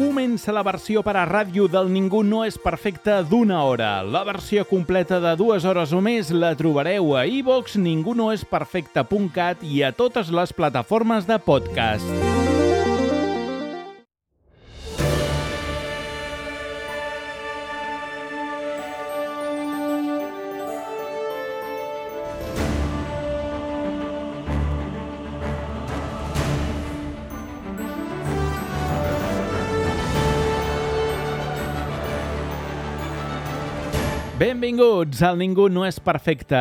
Comença la versió per a ràdio del Ningú no és perfecte d'1 hora. La versió completa de 2 hores o més la trobareu a iVoox, ningunoesperfecte.cat i a totes les plataformes de podcast. Benvinguts al Ningú no és perfecte.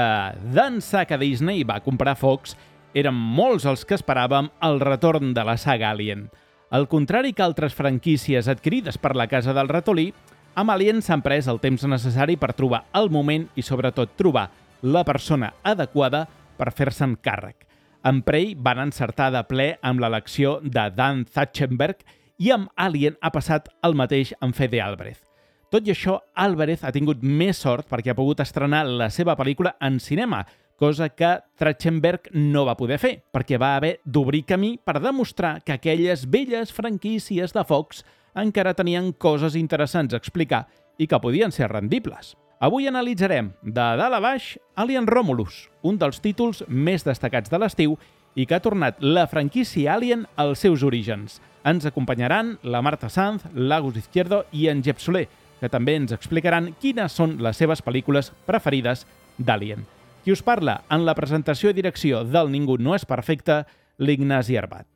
D'ençà que Disney va comprar Fox, eren molts els que esperàvem el retorn de la saga Alien. Al contrari que altres franquícies adquirides per la Casa del Ratolí, amb Alien s'han pres el temps necessari per trobar el moment i sobretot trobar la persona adequada per fer-se'n càrrec. En Prey van encertar de ple amb l'elecció de Dan Trachtenberg i amb Alien ha passat el mateix amb Fede Álvarez. Tot i això, Álvarez ha tingut més sort perquè ha pogut estrenar la seva pel·lícula en cinema, cosa que Trachtenberg no va poder fer, perquè va haver d'obrir camí per demostrar que aquelles velles franquícies de Fox encara tenien coses interessants a explicar i que podien ser rendibles. Avui analitzarem, de dalt a baix, Alien Romulus, un dels títols més destacats de l'estiu i que ha tornat la franquícia Alien als seus orígens. Ens acompanyaran la Marta Sanz, l'Agus Izquierdo i en Jep Soler, que també ens explicaran quines són les seves pel·lícules preferides d'Alien. Qui us parla en la presentació i direcció del Ningú no és perfecte, l'Ignasi Arbat.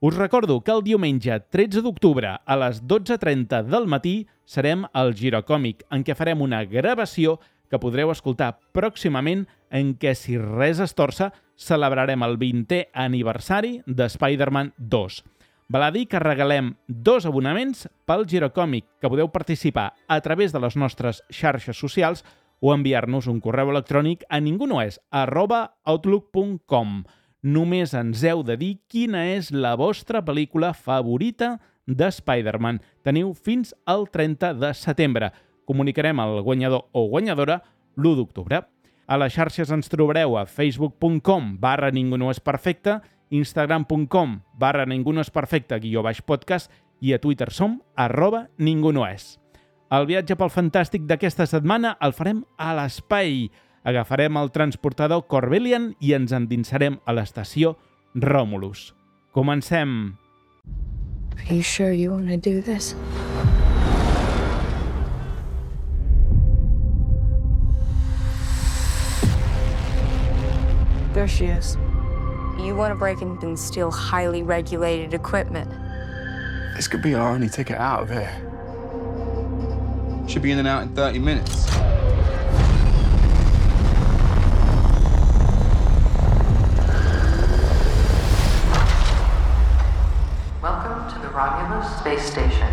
Us recordo que el diumenge 13 d'octubre a les 12:30 del matí serem al Girocòmic, en què farem una gravació que podreu escoltar pròximament, en què, si res es torça, celebrarem el 20è aniversari de Spider-Man 2. Val a dir que regalem 2 abonaments pel Girocòmic, que podeu participar a través de les nostres xarxes socials o enviar-nos un correu electrònic a ningunoes@outlook.com. Només ens heu de dir quina és la vostra pel·lícula favorita de Spider-Man. Teniu fins al 30 de setembre. Comunicarem el guanyador o guanyadora l'1 d'octubre. A les xarxes ens trobareu a facebook.com/ningunoesperfecte, instagram.com/ningunoesperfecte_podcast i a Twitter som @ningunoes. El viatge pel fantàstic d'aquesta setmana el farem a l'espai. Agafarem el transportador Corbelian i ens endinsarem a l'estació Romulus. Comencem! Are you sure you want to do this? There she is. You want to break in and steal highly regulated equipment. This could be our only ticket out of here. Should be in and out in 30 minutes. Welcome to the Romulus Space Station.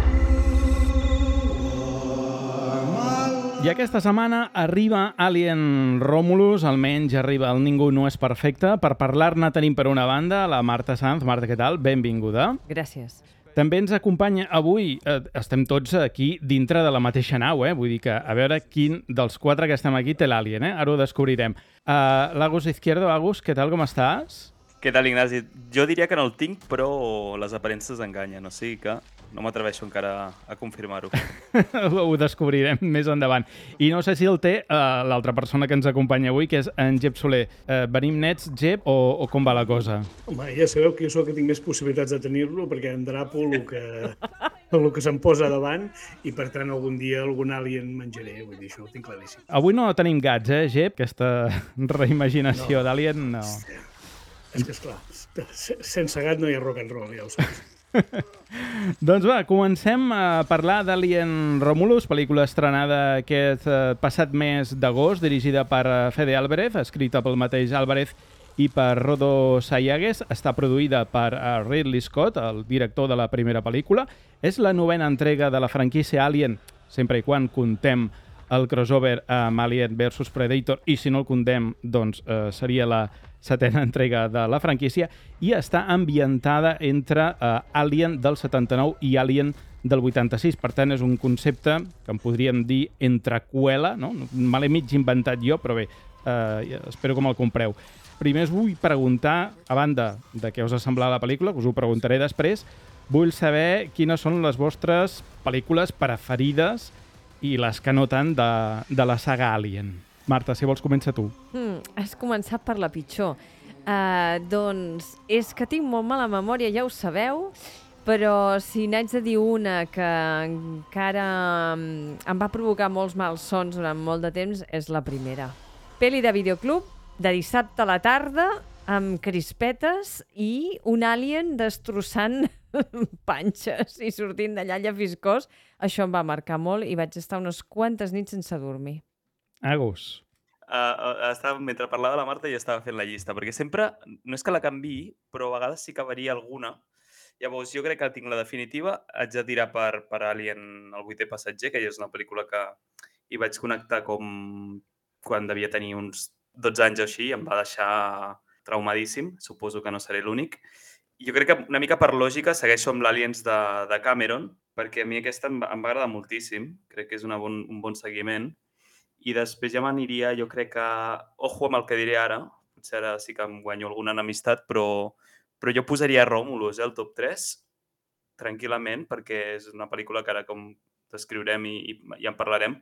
I aquesta setmana arriba Alien Romulus, almenys arriba el Ningú no és perfecte. Per parlar-ne tenim per una banda la Marta Sanz. Marta, què tal? Benvinguda. Gràcies. També ens acompanya avui, estem tots aquí dintre de la mateixa nau, vull dir que a veure quin dels 4 que estem aquí té l'Alien, ara ho descobrirem. L'Agus Izquierdo, Agus, què tal, com estàs? Què tal, Ignasi? Jo diria que no el tinc, però les aparences enganyen, o sigui que no m'atreveixo encara a confirmar-ho. Ho descobrirem més endavant. I no sé si el té l'altra persona que ens acompanya avui, que és en Jep Soler. Venim nets, Jep, o com va la cosa? Home, ja sabeu que jo sóc que tinc més possibilitats de tenir-lo, perquè em drapo el que se'm posa davant i, per tant, algun dia algun alien menjaré. Vull dir, això ho tinc claríssim. Avui no tenim gats, Jep? Aquesta reimaginació d'Alien, no. És que, esclar, sense gat no hi ha rock and roll, ja ho saps. Doncs va, comencem a parlar d'Alien Romulus, pel·lícula estrenada aquest passat mes d'agost, dirigida per Fede Álvarez, escrita pel mateix Álvarez i per Rodo Sayagues. Està produïda per Ridley Scott, el director de la primera pel·lícula. És la 9ª entrega de la franquícia Alien, sempre i quan contem el crossover amb Alien vs Predator, i si no el contem, doncs seria la 7ª entrega de la franquícia, i està ambientada entre Alien del 79 i Alien del 86. Per tant, és un concepte que en podríem dir entrecuela, no? Me l'he mig inventat jo, però bé, espero que me'l compreu. Primer us vull preguntar, a banda de què us ha semblat la pel·lícula, que us ho preguntaré després, Vull saber quines són les vostres pel·lícules preferides i les que no tant de la saga Alien. Marta, si vols, comença tu. Has començat per la pitjor. Doncs és que tinc molt mala memòria, ja ho sabeu, però si n'haig de dir una que encara em va provocar molts malsons durant molt de temps, és la primera. Peli de videoclub, de dissabte a la tarda, amb crispetes i un alien destrossant panxes i sortint d'allà llafiscós. Això em va marcar molt i vaig estar unes quantes nits sense dormir. Agus. Mentre parlava la Marta ja estava fent la llista, perquè sempre, no és que la canviï, però a vegades sí que varia alguna. Llavors, jo crec que tinc la definitiva. Haig de tirar per Alien, el 8è passatger, que és una pel·lícula que hi vaig connectar com quan devia tenir uns 12 anys o així, em va deixar traumadíssim, suposo que no seré l'únic. Jo crec que una mica per lògica segueixo amb l'Aliens de Cameron, perquè a mi aquesta em va agradar moltíssim, crec que és un bon seguiment. I després ja m'aniria, jo crec que, ojo amb el que diré ara, potser ara sí que em guanyo alguna enemistat, però jo posaria Romulus, el top 3, tranquil·lament, perquè és una pel·lícula que ara com descriurem i ja en parlarem.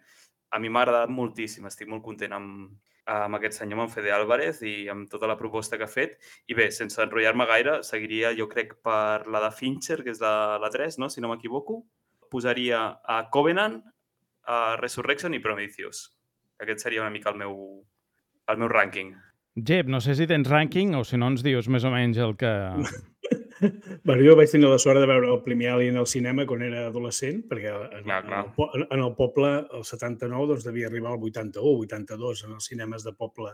A mi m'ha agradat moltíssim, estic molt content amb aquest senyor, amb Fede Álvarez i amb tota la proposta que ha fet. I bé, sense enrotllar-me gaire, seguiria, jo crec, per la de Fincher, que és la 3, no? Si no m'equivoco. Posaria a Covenant, a Resurrection i Prometheus. Aquest seria una mica el meu rànquing. Jep, no sé si tens rànquing o si no ens dius més o menys el que... Bueno, jo vaig tenir la sort de veure el primer Alien al cinema quan era adolescent, perquè en el poble, el 79, doncs devia arribar al 81, 82, en els cinemes de poble,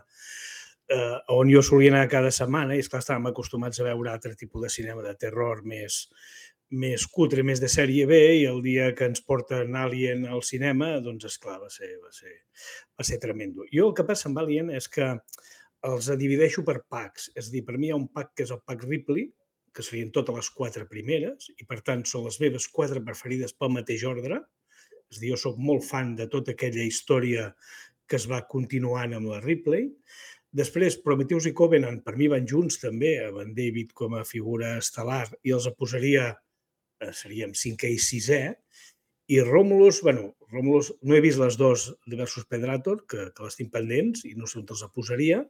on jo solia anar cada setmana, i esclar, estàvem acostumats a veure altre tipus de cinema de terror més cutre, més de sèrie B, i el dia que ens porten Alien al cinema, doncs, esclar, va ser tremendo. Jo el que passa amb Alien és que els divideixo per packs. És a dir, per mi hi ha un pack que és el pack Ripley, que serien totes les 4 primeres, i per tant són les meves 4 preferides pel mateix ordre. És a dir, jo soc molt fan de tota aquella història que es va continuant amb la Ripley. Després, Prometheus i Covenant, per mi van junts també, amb en David com a figura estel·lar, i els posaria, seríem 5è i 6è, i Romulus, no he vist les dues de Versus Predator, que les tinc pendents, i no sé on els posaria,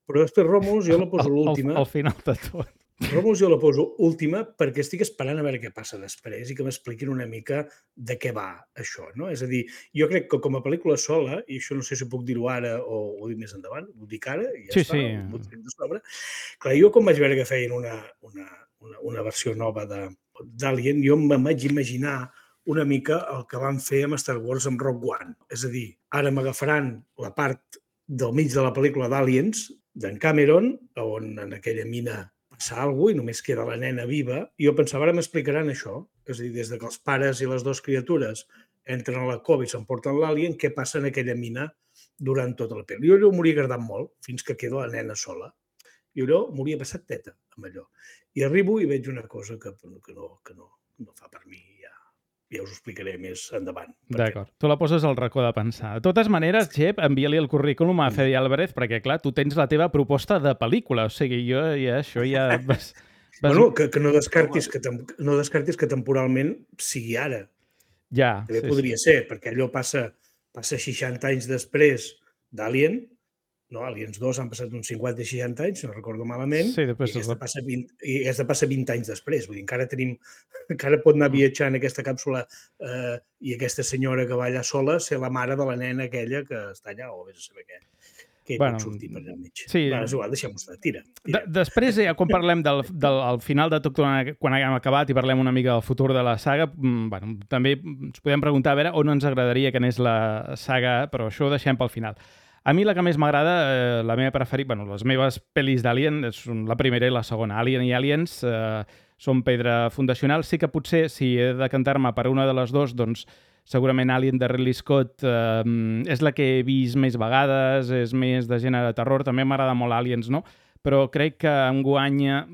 però després Romulus jo la poso l'última. Al final de tot. Romulus jo la poso última perquè estic esperant a veure què passa després i que m'expliquin una mica de què va això, no? És a dir, jo crec que com a pel·lícula sola, i això no sé si puc dir-ho ara o ho dic més endavant, ho dic ara i ja està, ho tinc de sobre. Clar, jo com vaig veure que feien una versió nova d'Alien, jo em vaig imaginar una mica el que van fer amb Star Wars amb Rogue One. És a dir, ara m'agafaran la part del mig de la pel·lícula d'Aliens, d'en Cameron, on en aquella mina passa alguna cosa i només queda la nena viva, i jo pensava, ara m'explicaran això. És a dir, des que els pares i les dues criatures entren a la cova i s'emporten l'Alien, què passa en aquella mina durant tota la pel·li. Jo allò m'hauria agradat molt, fins que queda la nena sola. I allò m'hauria passat teta amb allò. I arribo i veig una cosa que no fa per mi, ja us ho explicaré més endavant. D'acord. Tu la poses al racó de pensar. De totes maneres, Jep, envia-li el currículum a Fede Álvarez perquè, clar, tu tens la teva proposta de pel·lícula. O sigui, jo ja això ja... Bueno, que no descartis que temporalment sigui ara. Ja. També podria ser, perquè allò passa 60 anys després d'Alien, no? Aliens 2 han passat uns 50 i 60 anys, no recordo malament, sí, i aquesta passa 20 anys després. Vull dir, encara pot anar viatjant aquesta càpsula i aquesta senyora que va allà sola ser la mare de la nena aquella que està allà, o vés a saber què hi pot sortir per allà al mig. Sí. És igual, deixem-ho estar, tira. Després, ja, quan parlem del final de tot, quan haguem acabat i parlem una mica del futur de la saga, també ens podem preguntar a veure on ens agradaria que anés la saga, però això ho deixem pel final. A mi la que més m'agrada, la meva preferida, les meves pel·lis d'Alien són la primera i la segona. Alien i Aliens són pedra fundacional. Sí que potser, si he de cantar-me per una de les dues, doncs segurament Alien de Ridley Scott és la que he vist més vegades, és més de gènere de terror. També m'agrada molt Aliens, no? Però crec que em guanya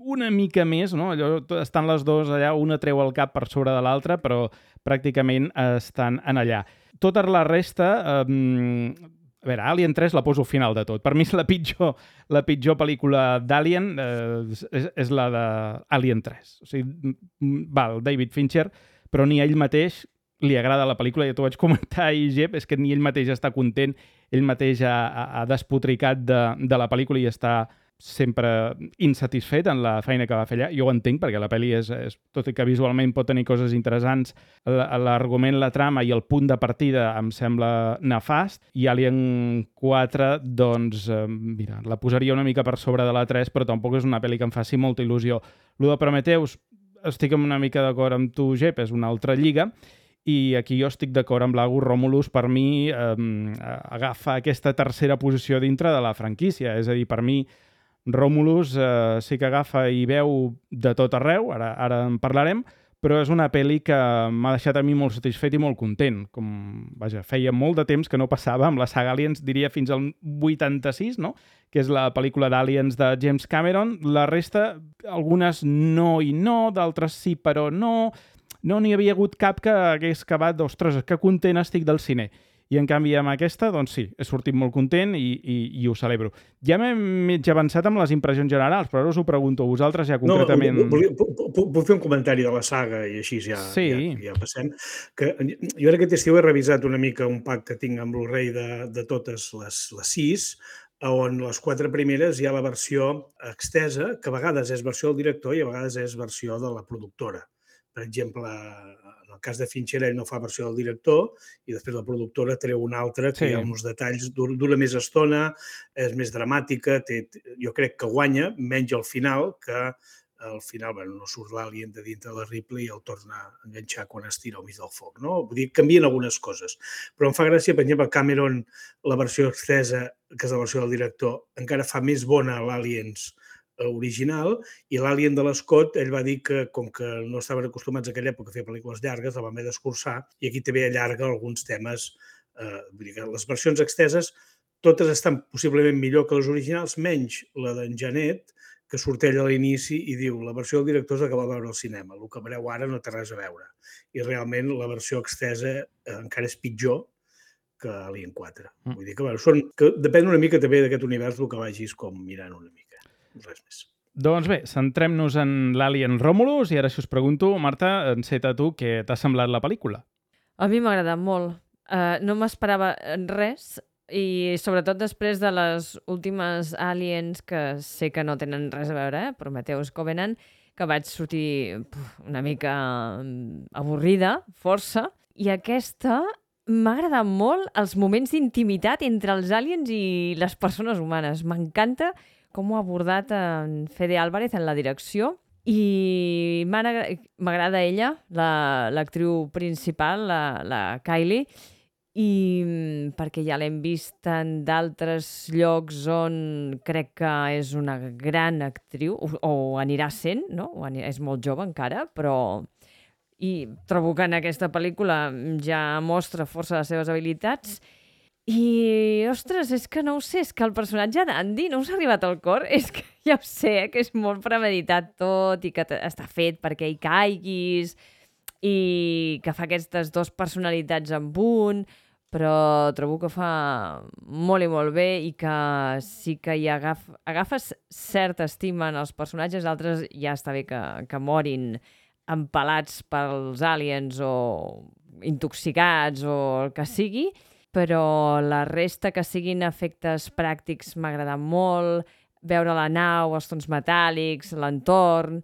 una mica més, no? Allò, estan les dues allà, una treu el cap per sobre de l'altra, però pràcticament estan en allà. Tota la resta... A veure, Alien 3 la poso al final de tot. Per mi és la pitjor pel·lícula d'Alien és la d'Alien 3. O sigui, val, David Fincher, però ni ell mateix li agrada la pel·lícula. Ja t'ho vaig comentar ahir, Jep, és que ni ell mateix està content, ell mateix ha despotricat de la pel·lícula i està sempre insatisfet en la feina que va fer allà. Jo ho entenc, perquè la pel·li és tot i que visualment pot tenir coses interessants, l'argument, la trama i el punt de partida em sembla nefast, i Alien 4, doncs, mira, la posaria una mica per sobre de la 3, però tampoc és una pel·li que em faci molta il·lusió. Lo de Prometheus, estic una mica d'acord amb tu, Jep, és una altra lliga, i aquí jo estic d'acord amb l'Agus. Romulus, per mi, agafa aquesta tercera posició dintre de la franquícia. És a dir, per mi, Romulus sí que agafa i veu de tot arreu, ara en parlarem, però és una pel·li que m'ha deixat a mi molt satisfet i molt content. Vaja, feia molt de temps que no passava amb la saga Aliens, diria fins al 86, no? Que és la pel·lícula d'Aliens de James Cameron. La resta, algunes no i no, d'altres sí però no. No n'hi havia hagut cap que hagués acabat d'ostres, que content estic del cine. I en canvi amb aquesta, doncs sí, he sortit molt content i ho celebro. Ja m'he mig avançat amb les impressions generals, però ara us ho pregunto a vosaltres ja concretament. Puc fer un comentari de la saga i així ja passem. Jo aquest estiu he revisat una mica un pack que tinc amb Blu-ray de totes les 6, on les 4 primeres hi ha la versió extesa, que a vegades és versió del director i a vegades és versió de la productora. Per exemple, en el cas de Fincher, ell no fa versió del director i després la productora treu una altra que hi ha uns detalls, dura més estona, és més dramàtica, jo crec que guanya, menys al final, que al final no surt l'Alien de dintre de la Ripley i el torna a enganxar quan es tira al mig del foc. Vull dir, canvien algunes coses. Però em fa gràcia, per exemple, Cameron, la versió extesa, que és la versió del director, encara fa més bona l'Aliens original, i l'Alien de l'Scott, ell va dir que, com que no estaven acostumats a aquella època a fer pel·lícules llargues, la van haver d'escurçar, i aquí també allarga alguns temes. Vull dir que les versions exteses totes estan possiblement millor que les originals, menys la d'en Janet, que surt ell a l'inici i diu la versió del director és la que va veure al cinema, el que veureu ara no té res a veure. I realment la versió extesa encara és pitjor que Alien 4. Vull dir que depèn una mica també d'aquest univers el que vagis com mirant una mica. Res més. Doncs bé, centrem-nos en l'Alien Romulus i ara, si us pregunto, Marta, enceta tu, què t'ha semblat la pel·lícula? A mi m'ha agradat molt. No m'esperava res i sobretot després de les últimes Aliens que sé que no tenen res a veure, Prometheus, Covenant, que vaig sortir una mica avorrida, força, i aquesta m'ha agradat molt els moments d'intimitat entre els aliens i les persones humanes. M'encanta com ho ha abordat en Fede Álvarez en la direcció i m'agrada ella, l'actriu principal, la Kylie, i perquè ja l'hem vist en d'altres llocs on crec que és una gran actriu, o anirà sent, no? És molt jove encara, però i trobo que en aquesta pel·lícula ja mostra força les seves habilitats. I, ostres, és que no ho sé, és que el personatge d'Andy no us ha arribat al cor, és que ja ho sé, que és molt premeditat tot i que està fet perquè hi caiguis i que fa aquestes dues personalitats en un, però trobo que fa molt i molt bé i que sí que hi agafes certa estima en els personatges, altres ja està bé que morin empalats pels aliens o intoxicats o el que sigui, però la resta que siguin efectes pràctics m'ha agradat molt, veure la nau, els tons metàl·lics, l'entorn.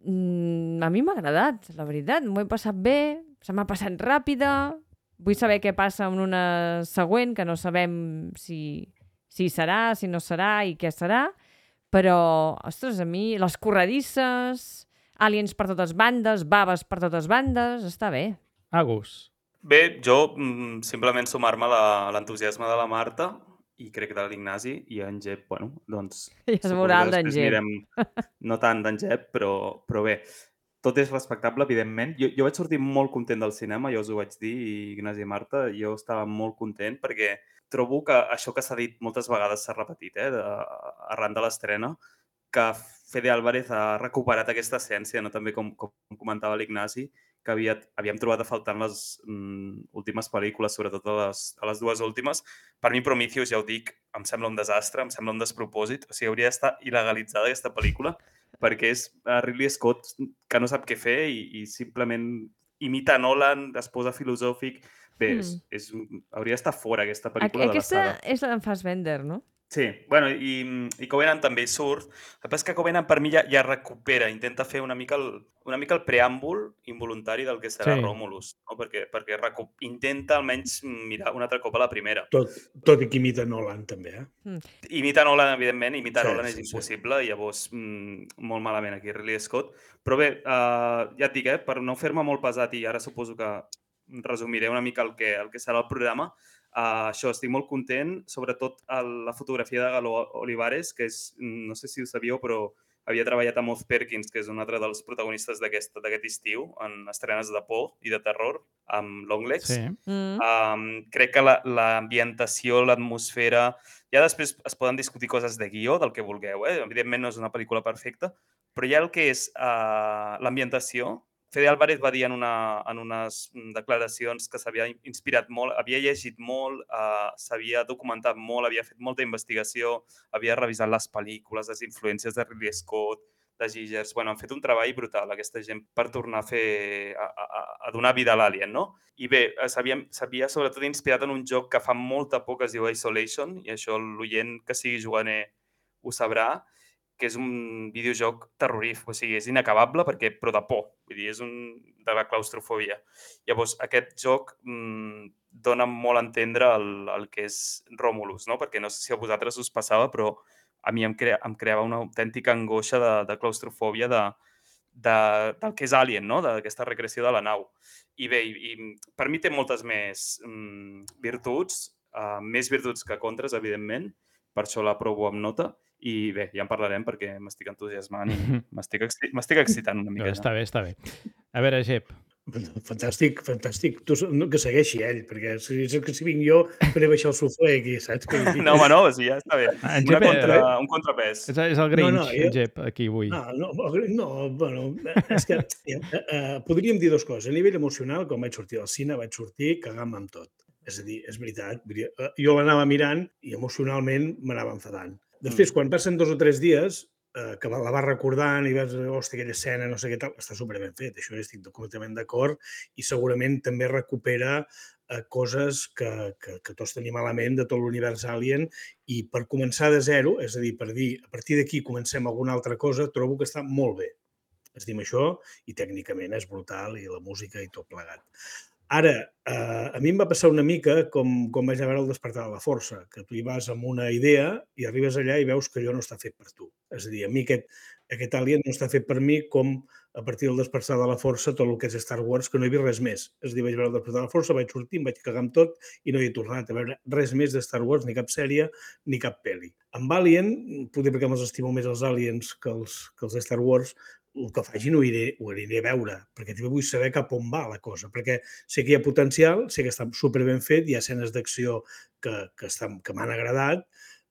A mi m'ha agradat, la veritat, m'ho he passat bé, se m'ha passat ràpida, vull saber què passa en una següent, que no sabem si serà, si no serà i què serà, però, ostres, a mi, les corredisses, aliens per totes bandes, baves per totes bandes, està bé. Agus. Bé, jo simplement sumar-me a l'entusiasme de la Marta i crec que de l'Ignasi i en Jep, bueno, doncs... Ja es veurà el d'en Jep. No tant d'en Jep, però bé, tot és respectable, evidentment. Jo vaig sortir molt content del cinema, ja us ho vaig dir, Ignasi i Marta, jo estava molt content perquè trobo que això que s'ha dit moltes vegades s'ha repetit, arran de l'estrena, que Fede Álvarez ha recuperat aquesta essència, no? També com comentava l'Ignasi, que havíem trobat a faltar en les últimes pel·lícules, sobretot a les dues últimes. Per mi, Prometheus, ja ho dic, em sembla un desastre, em sembla un despropòsit. O sigui, hauria d'estar il·legalitzada aquesta pel·lícula perquè és Ridley Scott que no sap què fer i simplement imita Nolan, es posa filosòfic. Bé, hauria d'estar fora aquesta pel·lícula de la saga. Aquesta és la d'en Fassbender, no? Sí, bueno, i Covenant també hi surt. El que passa és que Covenant per mi ja recupera, intenta fer una mica el preàmbul involuntari del que serà Romulus, no? perquè intenta almenys mirar un altre cop a la primera. Tot i que imita Nolan també, Imita Nolan, evidentment, Nolan és impossible, i llavors molt malament aquí Ridley Scott. Però bé, ja et dic, per no fer-me molt pesat, i ara suposo que resumiré una mica el que serà el programa, això, estic molt content, sobretot la fotografia de Galo Olivares, que és, no sé si ho sabíeu, però havia treballat amb Oz Perkins, que és un altre dels protagonistes d'aquest estiu, en estrenes de por i de terror, amb Longlegs. Crec que l'ambientació, l'atmosfera... Ja després es poden discutir coses de guió, del que vulgueu, Evidentment no és una pel·lícula perfecta, però ja el que és l'ambientació... Fede Álvarez va dir en unes declaracions que s'havia inspirat molt, havia llegit molt, s'havia documentat molt, havia fet molta investigació, havia revisat les pel·lícules, les influències de Ridley Scott, de Giggers... Bueno, han fet un treball brutal, aquesta gent, per tornar a donar vida a l'Alien, no? I bé, s'havia sobretot inspirat en un joc que fa molta por, que es diu Isolation, i això l'oient que sigui juganer ho sabrà, que és un videojoc terrorífic, o sigui, és inacabable però de por, vull dir, és de la claustrofòbia. Llavors, aquest joc dona molt a entendre el que és Romulus, no? Perquè no sé si a vosaltres us passava, però a mi em creava una autèntica angoixa de claustrofòbia del que és Alien, no? D'aquesta recreació de la nau. I bé, per mi té moltes més virtuts, més virtuts que contres, evidentment, per això l'aprovo amb nota. I bé, ja en parlarem perquè m'estic entusiasmant i m'estic excitant una mica. Està bé. A veure, Jep. Fantàstic. Tu, que segueixi ell, perquè si vinc jo, faré baixar el suflé aquí, saps? No, home, no, ja està bé. Un contrapès. És el Grinch, Jep, aquí avui. No, bueno, és que podríem dir dues coses. A nivell emocional, quan vaig sortir del cine, vaig sortir cagant-me amb tot. És a dir, és veritat. Jo l'anava mirant i emocionalment m'anava enfadant. Després, quan passen 2 o 3 dies, que la vas recordant i vas, hòstia, aquella escena, no sé què tal, està superben fet, això estic completament d'acord, i segurament també recupera coses que tots tenim a la ment de tot l'univers Alien, i per començar de zero, és a dir, per dir, a partir d'aquí comencem alguna altra cosa, trobo que està molt bé. Es diu això, i tècnicament és brutal, i la música i tot plegat. Ara, a mi em va passar una mica com vaig a veure el Despertar de la Força, que tu hi vas amb una idea i arribes allà i veus que allò no està fet per tu. És a dir, a mi aquest Alien no està fet per mi com a partir del Despertar de la Força tot el que és Star Wars, que no he vist res més. És a dir, vaig veure el Despertar de la Força, vaig sortir, em vaig cagar amb tot i no hi he tornat a veure res més de Star Wars, ni cap sèrie, ni cap pel·li. Amb Alien, potser perquè me'ls estimo més els Aliens que els de Star Wars, el que facin ho aniré a veure, perquè també vull saber cap on va la cosa, perquè sé que hi ha potencial, sé que està superben fet, hi ha escenes d'acció que m'han agradat,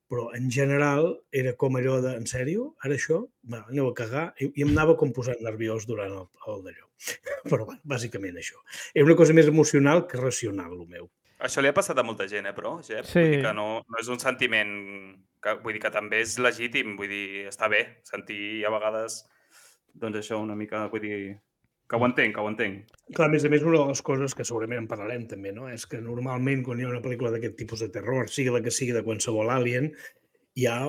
però en general era com allò de, en sèrio, ara això? Va, aneu a cagar, i em anava com posant nerviós durant el d'allò. Però bàsicament això. Era una cosa més emocional que racional, el meu. Això li ha passat a molta gent, però, Jep? Sí. Vull dir que no és un sentiment, vull dir que també és legítim, vull dir, està bé sentir a vegades, doncs això una mica, vull dir, que ho entenc. Clar, a més, una de les coses que segurament en parlarem també, no? És que normalment quan hi ha una pel·lícula d'aquest tipus de terror, sigui la que sigui de qualsevol Alien, hi ha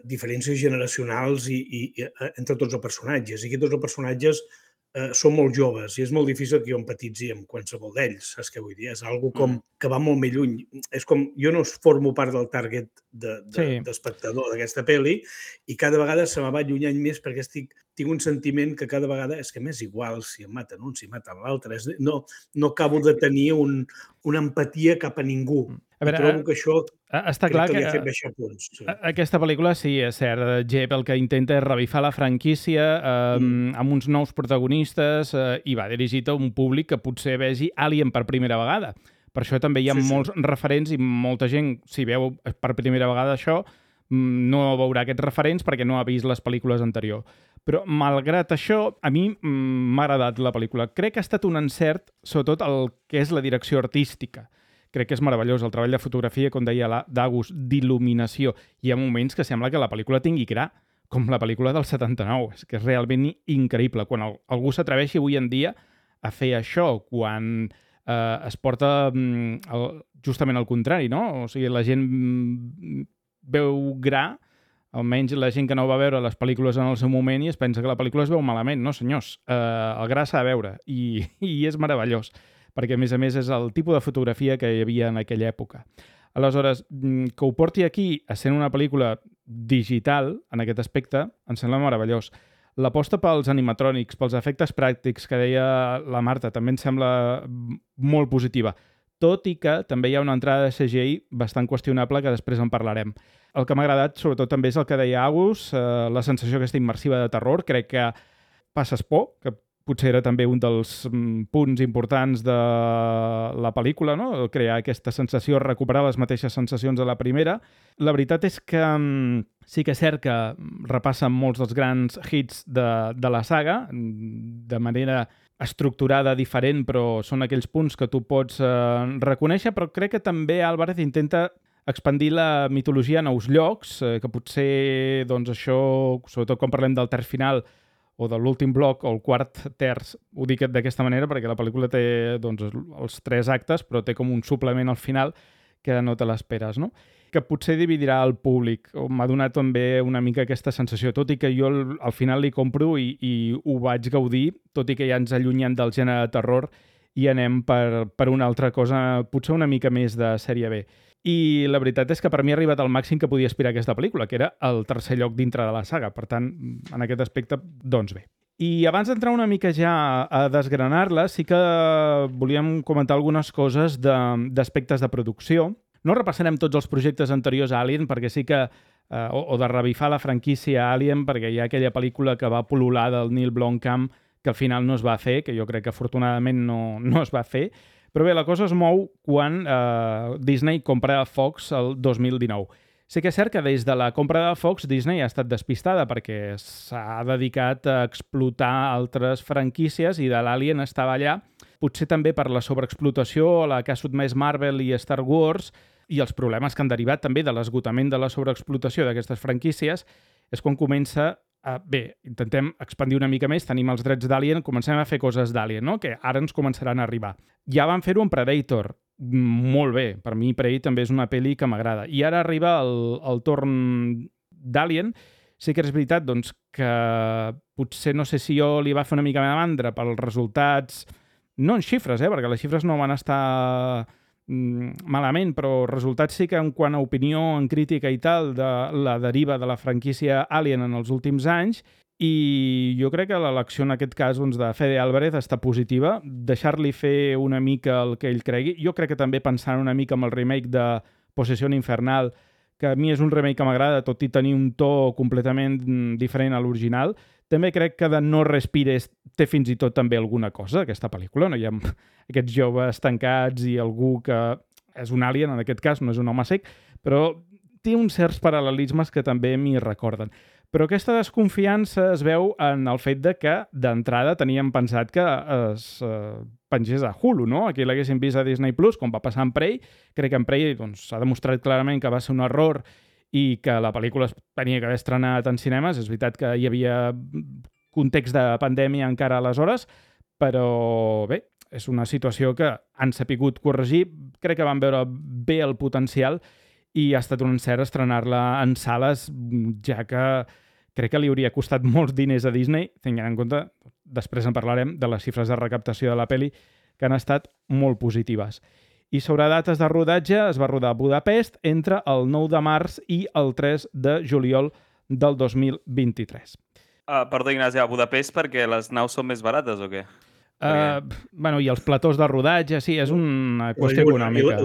diferències generacionals entre tots els personatges. I aquí tots els personatges són molt joves i és molt difícil que jo empatitzi amb qualsevol d'ells, saps què vull dir? És algo com que va molt més lluny. És com, jo no formo part del target d'espectador d'aquesta pel·li i cada vegada se me va allunyant més perquè tinc un sentiment que cada vegada és que m'és igual si em maten un, si maten l'altre. No acabo de tenir una empatia cap a ningú. I trobo que això està clar que fet baixar punts. Aquesta pel·lícula, sí, és cert, Jep, el que intenta és revifar la franquícia amb uns nous protagonistes i va dirigit a un públic que potser vegi Alien per primera vegada. Per això també hi ha molts referents i molta gent, si veu per primera vegada això, no veurà aquests referents perquè no ha vist les pel·lícules anteriors. Però, malgrat això, a mi m'ha agradat la pel·lícula. Crec que ha estat un encert, sobretot el que és la direcció artística. Crec que és meravellós el treball de fotografia, com deia d'Agus, d'il·luminació. Hi ha moments que sembla que la pel·lícula tingui gra, com la pel·lícula del 79. És que és realment increïble. Quan algú s'atreveixi avui en dia a fer això, quan es porta justament al contrari, no? O sigui, la gent veu gra, almenys la gent que no va veure les pel·lícules en el seu moment i es pensa que la pel·lícula es veu malament. No, senyors, el gra s'ha de veure i és meravellós, perquè a més és el tipus de fotografia que hi havia en aquella època. Aleshores, que ho porti aquí a ser una pel·lícula digital, en aquest aspecte, em sembla meravellós. L'aposta pels animatrònics, pels efectes pràctics que deia la Marta, també em sembla molt positiva, tot i que també hi ha una entrada de CGI bastant qüestionable que després en parlarem. El que m'ha agradat, sobretot, també és el que deia Agus, la sensació aquesta immersiva de terror. Crec que passes por, que potser era també un dels punts importants de la pel·lícula, no? Crear aquesta sensació, recuperar les mateixes sensacions de la primera. La veritat és que sí que és cert que repassen molts dels grans hits de la saga, de manera estructurada diferent, però són aquells punts que tu pots reconèixer, però crec que també Álvarez intenta expandir la mitologia a nous llocs, que potser, doncs, això, sobretot quan parlem del terç final, o de l'últim bloc, o el quart terç, ho dic d'aquesta manera perquè la pel·lícula té, doncs, els 3 actes, però té com un suplement al final que no te l'esperes, no? Que potser dividirà el públic. M'ha donat també una mica aquesta sensació, tot i que jo al final li compro i ho vaig gaudir, tot i que ja ens allunyem del gènere de terror i anem per una altra cosa, potser una mica més de sèrie B. I la veritat és que per mi ha arribat al màxim que podia aspirar aquesta pel·lícula, que era el tercer lloc dintre de la saga. Per tant, en aquest aspecte, doncs bé. I abans d'entrar una mica ja a desgranar-la, sí que volíem comentar algunes coses d'aspectes de producció. No repassarem tots els projectes anteriors a Alien, perquè sí que o de revifar la franquícia Alien, perquè hi ha aquella pel·lícula que va pol·lular del Neil Blomkamp, que al final no es va fer, que jo crec que afortunadament no es va fer. Però bé, la cosa es mou quan Disney compra Fox el 2019. Sí que és cert que des de la compra de Fox, Disney ha estat despistada perquè s'ha dedicat a explotar altres franquícies i de l'Alien estava allà, potser també per la sobreexplotació a la que ha sotmès Marvel i Star Wars i els problemes que han derivat també de l'esgotament de la sobreexplotació d'aquestes franquícies, és quan comença bé, intentem expandir una mica més, tenim els drets d'Alien, comencem a fer coses d'Alien, no? Que ara ens començaran a arribar. Ja van fer-ho amb Predator, molt bé, per mi Prey també és una pel·li que m'agrada. I ara arriba el torn d'Alien. Sí que és veritat doncs, que potser no sé si jo li va fer una mica de mandra pels resultats, no en xifres, perquè les xifres no van estar malament, però resultats sí que en quant a opinió, en crítica i tal, de la deriva de la franquícia Alien en els últims anys, i jo crec que l'elecció en aquest cas doncs, de Fede Álvarez està positiva, deixar-li fer una mica el que ell cregui. Jo crec que també pensant una mica amb el remake de Possessió Infernal, que a mi és un remake que m'agrada, tot i tenir un to completament diferent a l'original. També crec que de No respires té fins i tot també alguna cosa, aquesta pel·lícula. No hi ha aquests joves tancats i algú que és un alien, en aquest cas, no és un home sec, però té uns certs paral·lelismes que també m'hi recorden. Però aquesta desconfiança es veu en el fet de que, d'entrada, teníem pensat que es pengés a Hulu, no? Aquí l'haguéssim vist a Disney+, com va passar amb Prey. Crec que en Prey s'ha demostrat clarament que va ser un error i que la pel·lícula tenia que haver estrenat en cinemes. És veritat que hi havia context de pandèmia encara aleshores, però bé, és una situació que han sapigut corregir. Crec que van veure bé el potencial i ha estat un encert estrenar-la en sales, ja que crec que li hauria costat molts diners a Disney, tenint en compte, després en parlarem, de les xifres de recaptació de la pel·li, que han estat molt positives. I sobre dates de rodatge, es va rodar a Budapest entre el 9 de març i el 3 de juliol del 2023. Perdó, Ignasi, a Budapest perquè les naus són més barates o què? Bueno, i els platós de rodatge, sí, és una qüestió econòmica.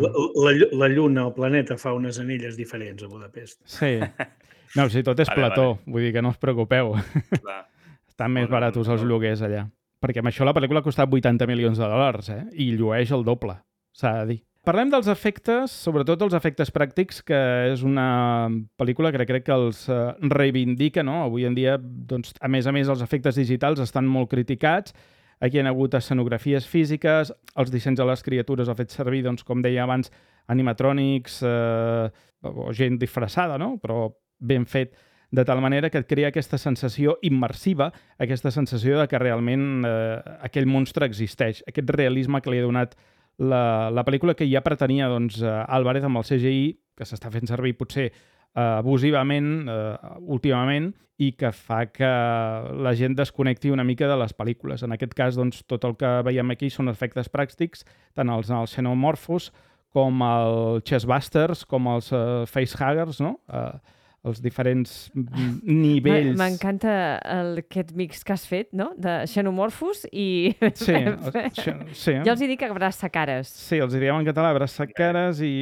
La Lluna, el planeta, fa unes anelles diferents a Budapest. Sí. No, sí, tot és plató, vull dir que no us preocupeu. Estan més baratos els lloguers allà. Perquè amb això la pel·lícula ha costat $80 milions, i llueix el doble, s'ha de dir. Parlem dels efectes, sobretot els efectes pràctics, que és una pel·lícula que crec que els reivindica, no? Avui en dia, doncs, a més, els efectes digitals estan molt criticats. Aquí hi ha hagut escenografies físiques, els dissenys de les criatures ha fet servir, doncs, com deia abans, animatrònics o gent disfressada, no? Però ben fet, de tal manera que et crea aquesta sensació immersiva, aquesta sensació de que realment aquell monstre existeix, aquest realisme que li ha donat la pel·lícula, que ja pretenia doncs, Álvarez amb el CGI, que s'està fent servir potser abusivament últimament, i que fa que la gent desconnecti una mica de les pel·lícules. En aquest cas, doncs, tot el que veiem aquí són efectes pràctics, tant els Xenomorphos com els Chestbusters, com els Facehuggers, no? Els diferents nivells... M'encanta aquest mix que has fet, no? De Xenomorphos i... Sí. Jo els hi dic abraçacares. Sí, els hi diem en català abraçacares i...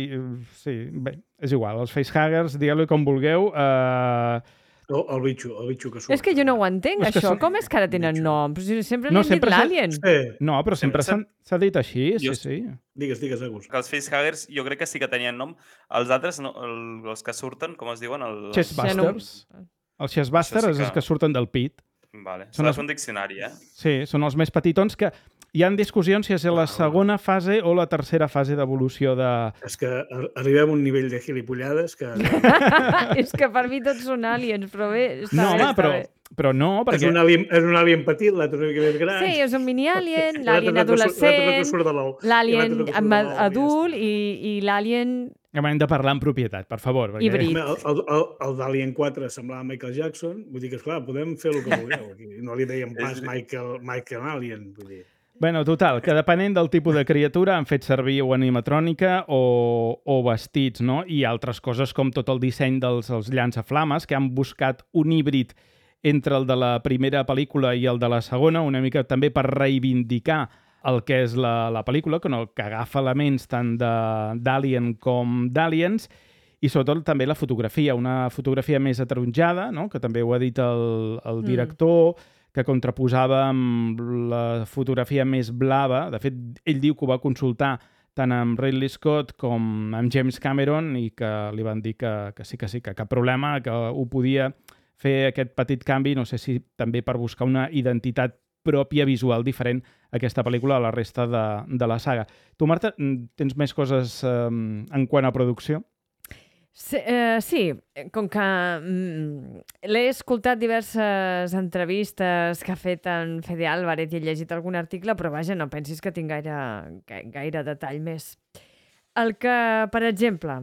Sí, bé, és igual. Els Facehuggers, digueu-li com vulgueu... El bitxo que surt. És que jo no ho entenc, això. Com és que ara tenen nom? Sempre n'hem dit l'Alien. No, però sempre s'ha dit així, sí. Digues, Agus. Que els Facehuggers jo crec que sí que tenien nom. Els altres, els que surten, com es diuen? Chestbusters. Els Chestbusters és els que surten del pit. Vale. Són un diccionari, Sí, són els més petitons que... Hi ha discussions si és la segona fase o la tercera fase d'evolució de... És que arribem a un nivell de gilipollades que... És que per mi tots són aliens, però bé... Però no, perquè... És un alien petit, l'altre una mica més gran. Sí, és un mini-alien, l'alien adolescent, l'alien adult i l'alien... Hem de parlar en propietat, per favor. Híbrid. El d'Alien 4 semblava Michael Jackson, vull dir que, esclar, podem fer el que vulgueu. No li dèiem pas Michael Alien, vull dir... Bueno, total, que depenent del tipus de criatura han fet servir o animatrònica o vestits, no? I altres coses com tot el disseny dels llançaflames, que han buscat un híbrid entre el de la primera pel·lícula i el de la segona, una mica també per reivindicar el que és la pel·lícula, que agafa elements tant d'Alien com d'Aliens, i sobretot també la fotografia, una fotografia més ataronjada, no? Que també ho ha dit el director, que contraposava amb la fotografia més blava. De fet, ell diu que ho va consultar tant amb Ridley Scott com amb James Cameron i que li van dir que sí, que cap problema, que ho podia fer aquest petit canvi, no sé si també per buscar una identitat pròpia visual diferent a aquesta pel·lícula a la resta de la saga. Tu, Marta, tens més coses en quant a producció? Sí, com que l'he escoltat diverses entrevistes que ha fet en Fede Álvarez i he llegit algun article, però vaja, no pensis que tinc gaire detall més. Per exemple,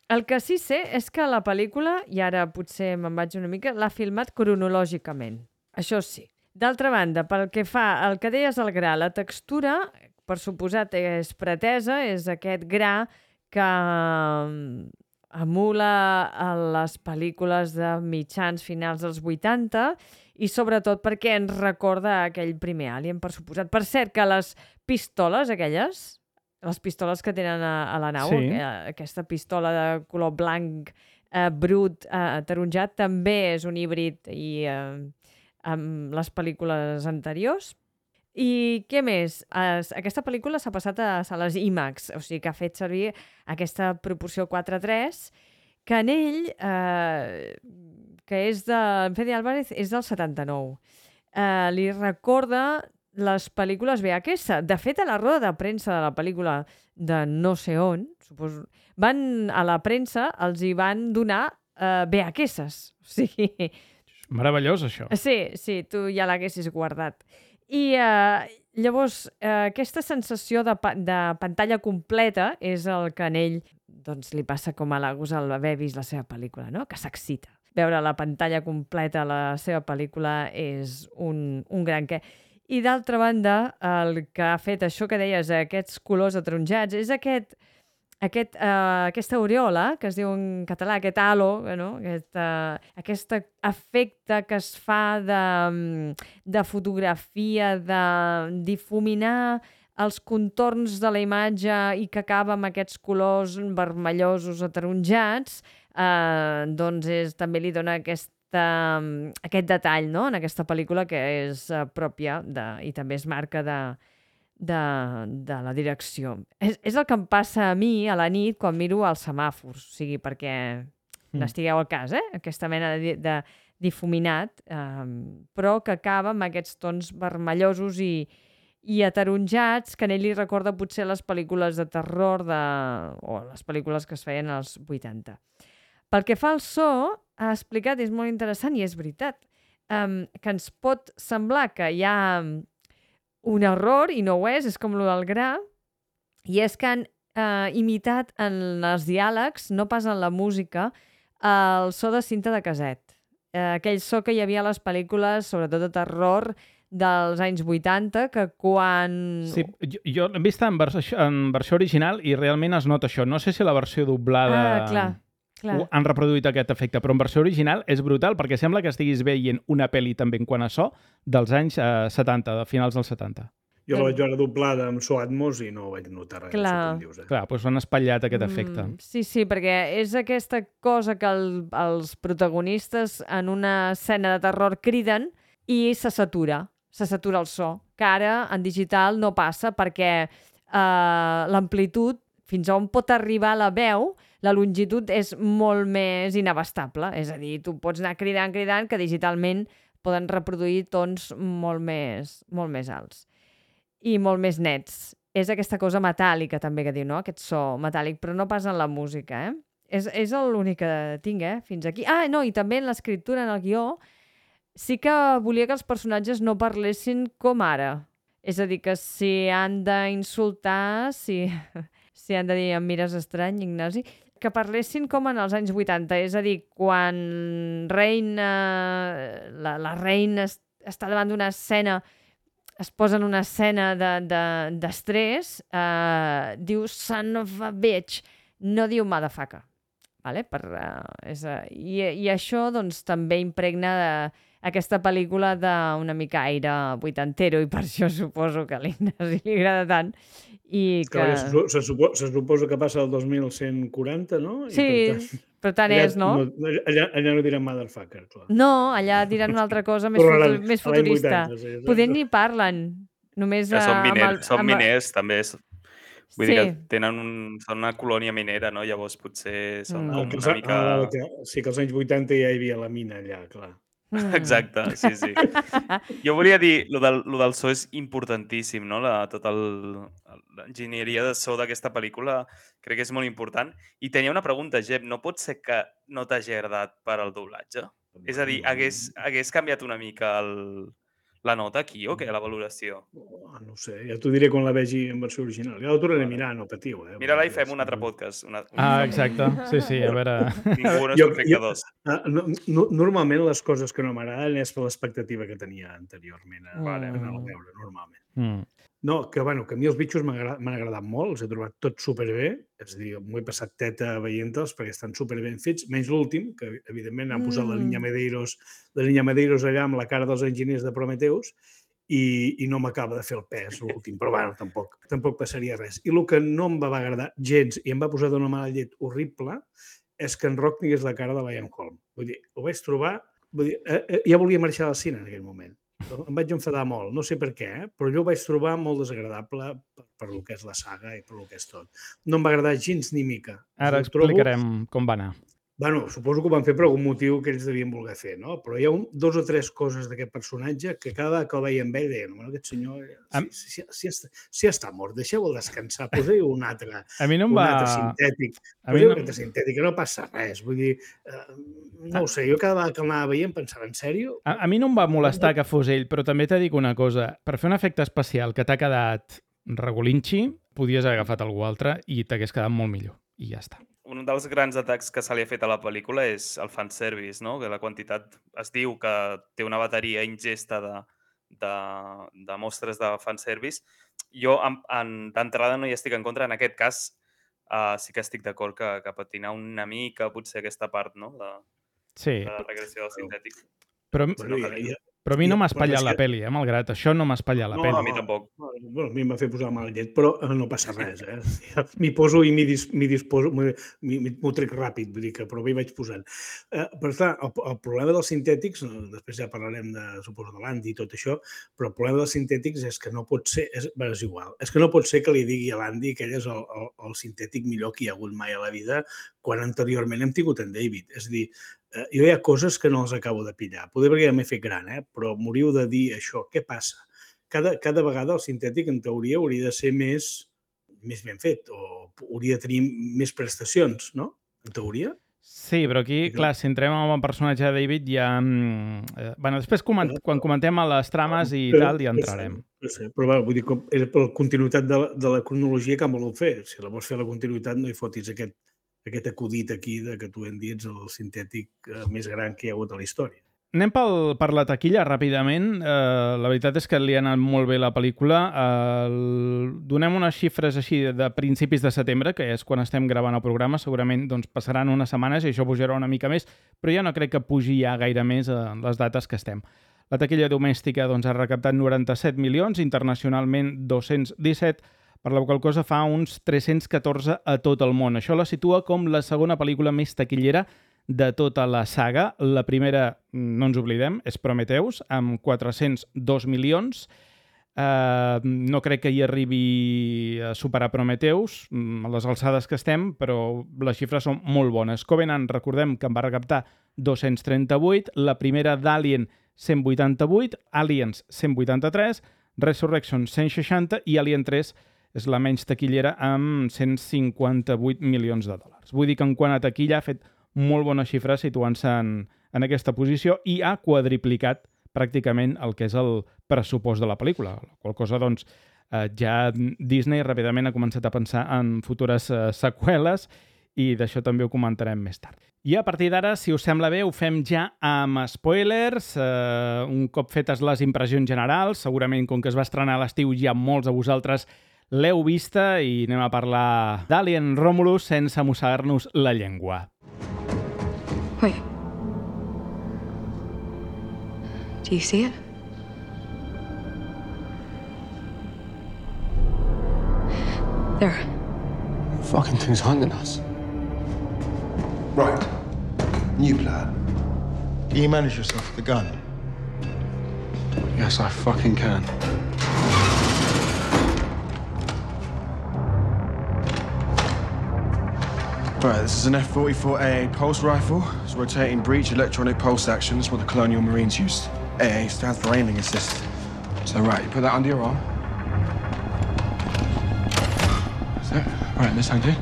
el que sí sé és que la pel·lícula, i ara potser me'n vaig una mica, l'ha filmat cronològicament. Això sí. D'altra banda, pel que fa al que deies el gra, la textura, per suposat, és pretesa, és aquest gra que emula a les pel·lícules de mitjans finals dels 80 i sobretot perquè ens recorda aquell primer Alien, per suposat. Per cert, que les pistoles aquelles, les pistoles que tenen a la nau, sí. Aquesta pistola de color blanc brut, ataronjat, també és un híbrid i amb les pel·lícules anteriors. I què més? Aquesta pel·lícula s'ha passat a sales IMAX, o sigui que ha fet servir aquesta proporció 4:3, que en ell, que és de Fede Álvarez, és del 79. Li recorda les pel·lícules VHS. De fet, a la roda de premsa de la pel·lícula de no sé on, suposo, a la premsa els hi van donar VHS. O sigui... Meravellós, això. Sí, tu ja l'haguessis guardat. I llavors aquesta sensació de pantalla completa és el que en ell doncs, li passa com a l'Agus al haver vist la seva pel·lícula, no? Que s'excita. Veure la pantalla completa a la seva pel·lícula és un gran què. I d'altra banda, el que ha fet això que deies, aquests colors ataronjats, és aquesta aureola, que es diu en català, aquest halo, no? Aquest efecte que es fa de fotografia, de difuminar els contorns de la imatge i que acaba amb aquests colors vermellosos ataronjats, doncs també li dona aquest detall, no? En aquesta pel·lícula que és pròpia i també és marca de la direcció. És el que em passa a mi a la nit quan miro els semàfors, o sigui, perquè n'estigueu al cas, aquesta mena de difuminat, però que acaba amb aquests tons vermellosos i ataronjats, que a ell li recorda potser les pel·lícules de terror o les pel·lícules que es feien als 80. Pel que fa al so, ha explicat, és molt interessant i és veritat, que ens pot semblar que hi ha un error, i no ho és com el del gra, i és que han imitat en els diàlegs, no pas en la música, el so de cinta de caset. Aquell so que hi havia a les pel·lícules, sobretot de terror, dels anys 80, que quan... Sí, jo l'he vist en versió original i realment es nota això. No sé si la versió doblada... clar. Han reproduït aquest efecte, però en versió original és brutal perquè sembla que estiguis veient una pel·li també en quant a so dels anys 70, de finals dels 70. Jo la vaig veure doblada amb so Atmos i no vaig notar res. Clar. Com dius, Clar, doncs han espatllat aquest efecte. Sí, perquè és aquesta cosa que els protagonistes en una escena de terror criden i se satura el so, que ara en digital no passa perquè l'amplitud, fins on pot arribar la veu, la longitud és molt més inabastable. És a dir, tu pots anar cridant, que digitalment poden reproduir tons molt més alts i molt més nets. És aquesta cosa metàl·lica també que diu, no? Aquest so metàl·lic, però no pas en la música, És l'únic que tinc, fins aquí. No, i també en l'escriptura, en el guió, sí que volia que els personatges no parlessin com ara. És a dir, que si han d'insultar, si han de dir em mires estrany, Ignasi, que parlessin com en els anys 80. És a dir, quan la reina està davant d'una escena, es posa en una escena d'estrès, diu son of a bitch, no diu motherfucker. Vale? I això doncs, també impregna aquesta pel·lícula d'una mica aire vuitantero, i per això suposo que a l'Ignasi li agrada tant. Se suposa que passa el 2140, no? Sí, però tant és, no? Allà no diran motherfucker, clar. No, allà diran una altra cosa més futurista. Poder ni parlen. Només són miners, també. Vull dir que són una colònia minera, no? Llavors potser són com una mica... Sí, que als anys 80 ja hi havia la mina allà, clar. Exacte, sí. Jo volia dir, lo del so és importantíssim, no? Tota l'enginyeria de so d'aquesta pel·lícula crec que és molt important. I tenia una pregunta, Jep, no pot ser que no t'hagi agradat per al doblatge? És a dir, hagués canviat una mica la nota aquí o què, la valoració? No sé, ja t'ho diré quan la vegi en versió original. Ja la tornaré a mirar, no patiu. Mira-la i fem un altre podcast. Exacte. Sí, a veure... Ningú no és perfecte dos. Normalment les coses que no m'agraden és per l'expectativa que tenia anteriorment a anar-la a veure, normalment. No, que a mi els bitxos m'han agradat molt, els he trobat tots superbé, és a dir, m'ho he passat teta veient-los perquè estan superben fets, menys l'últim, que evidentment han posat la línia Medeiros allà amb la cara dels enginyers de Prometheus i no m'acaba de fer el pes l'últim, però bueno, tampoc passaria res. I el que no em va agradar gens i em va posar d'una mala llet horrible és que en Rock tingués la cara de Liam Holm. Vull dir, ho vaig trobar... Ja volia marxar del cine en aquell moment. Em vaig enfadar molt, no sé per què, però jo ho vaig trobar molt desagradable per el que és la saga i per el que és tot. No em va agradar gens ni mica. Ara explicarem com va anar. Bueno, suposo que ho van fer per algun motiu que ells devien voler fer, no? Però hi ha 2 o 3 coses d'aquest personatge que cada vegada que el veia amb ell deia, bueno, aquest senyor, si està mort, deixeu-lo descansar, poseu un altre sintètic. Poseu un altre sintètic, no passa res. Vull dir, no ho sé, jo cada vegada que l'anava veient pensava, en sèrio? A mi no em va molestar que fos ell, però també t'he dit una cosa. Per fer un efecte especial que t'ha quedat regulinxi, podies haver agafat algú altre i t'hagués quedat molt millor. I ja està. Un dels grans atacs que se li ha fet a la pel·lícula és el fanservice, no? Que la quantitat... Es diu que té una bateria ingesta de mostres de fanservice. Jo, d'entrada, no hi estic en contra. En aquest cas, sí que estic d'acord que patina una mica potser aquesta part, no? De la regressió del sintètic. Però Però a mi no m'ha espatllat la pel·li, malgrat això no m'ha espatllat la No, pel·li. a mi tampoc. Bueno, a mi em va fer posar mal llet, però no passa res, M'hi poso i m'hi disposo, m'ho trec ràpid, vull dir que però m'hi vaig posant. Però clar, el problema dels sintètics, després ja parlarem suposo, de l'Andy i tot això, però el problema dels sintètics és que no pot ser, és igual, és que no pot ser que li digui a l'Andy que ell és el sintètic millor que hi ha hagut mai a la vida, quan anteriorment hem tingut en David. És a dir, jo hi ha coses que no els acabo de pillar. Poder perquè ja m'he fet gran, però m'hauríeu de dir això. Què passa? Cada vegada el sintètic, en teoria, hauria de ser més ben fet o hauria de tenir més prestacions, no? En teoria. Sí, però aquí, clar, si entrem en el personatge de David ja... Bueno, després quan comentem a les trames i tal, ja entrarem. No sé, però vull dir, per la continuïtat de la cronologia que han volut fer. Si la vols fer la continuïtat, no hi fotis aquest acudit aquí que tu hem dit el sintètic més gran que hi ha hagut a la història. Anem per la taquilla ràpidament. La veritat és que li ha anat molt bé la pel·lícula. Donem unes xifres així de principis de setembre, que és quan estem gravant el programa. Segurament passaran unes setmanes i això pujarà una mica més, però ja no crec que pugi ja gaire més les dates que estem. La taquilla domèstica ha recaptat 97 milions, internacionalment 217, per la qual cosa fa uns 314 a tot el món. Això la situa com la segona pel·lícula més taquillera de tota la saga. La primera, no ens oblidem, és Prometheus, amb 402 milions. No crec que hi arribi a superar Prometheus, a les alçades que estem, però les xifres són molt bones. Covenant, recordem que en va recaptar 238, la primera d'Alien 188, Aliens 183, Resurrection 160 i Alien 3 és la menys taquillera amb 158 milions de dòlars. Vull dir que en quant a taquilla ha fet molt bones xifres situant-se en aquesta posició i ha quadriplicat pràcticament el que és el pressupost de la pel·lícula. La qual cosa, doncs, ja Disney ràpidament ha començat a pensar en futures seqüeles i d'això també ho comentarem més tard. I a partir d'ara, si us sembla bé, ho fem ja amb spoilers. Un cop fetes les impressions generals, segurament com que es va estrenar a l'estiu ja molts de vosaltres l'heu vista i anem a parlar d'Alien Romulus sense mossegar-nos la llengua. Wait. Do you see it? There. Fucking thing's hunting us. Right. New plan. Can you manage yourself with the gun? Yes, I fucking can. Right, this is an F-44AA pulse rifle. It's rotating breech electronic pulse action. It's what the Colonial Marines used. AA stands for aiming assist. So, right, you put that under your arm. That's it. Right, this hand here.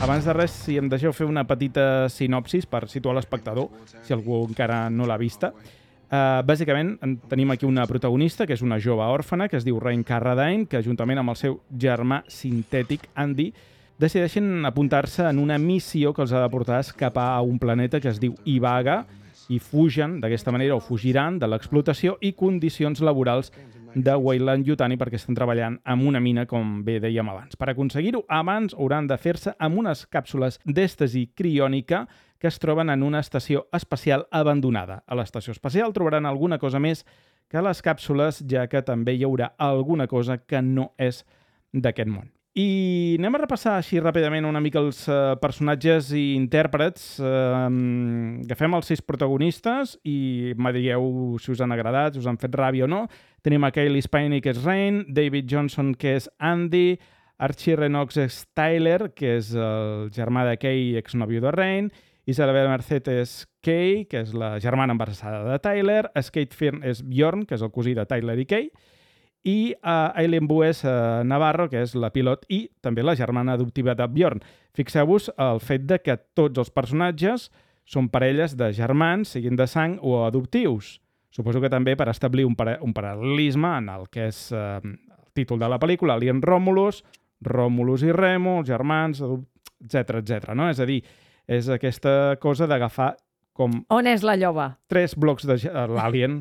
Abans de res, si em deixeu fer una petita sinopsis per situar l'espectador, si algú encara no l'ha vista. Bàsicament, tenim aquí una protagonista, que és una jove òrfana, que es diu Rain Carradine, que juntament amb el seu germà sintètic, Andy, decideixen apuntar-se en una missió que els ha de portar a escapar a un planeta que es diu Ivaga i fugen, d'aquesta manera, o fugiran de l'explotació i condicions laborals de Weyland-Yutani perquè estan treballant en una mina, com bé dèiem abans. Per aconseguir-ho, abans hauran de fer-se amb unes càpsules d'èstasi criònica que es troben en una estació espacial abandonada. A l'estació espacial trobaran alguna cosa més que les càpsules, ja que també hi haurà alguna cosa que no és d'aquest món. I anem a repassar així ràpidament una mica els personatges i intèrprets. Agafem els 6 protagonistes i me digueu si us han agradat, si us han fet ràbia o no. Tenim a Cailee Spaeny, que és Rain, David Johnson, que és Andy, Archie Rennox és Tyler, que és el germà de Kay, exnòvio de Rain, Isabel Merced és Kay, que és la germana embarassada de Tyler, Skate Firn és Bjorn, que és el cosí de Tyler i Kay, i Aileen Boo és Navarro, que és la pilot i també la germana adoptiva de Bjorn. Fixeu-vos el fet de que tots els personatges són parelles de germans, siguin de sang o adoptius. Suposo que també per establir un paral·lelisme en el que és el títol de la pel·lícula, Alien Romulus, Romulus i Remo, els germans, etc. No? És a dir, és aquesta cosa d'agafar com... On és la lloba? 3 blocs de... l'Alien.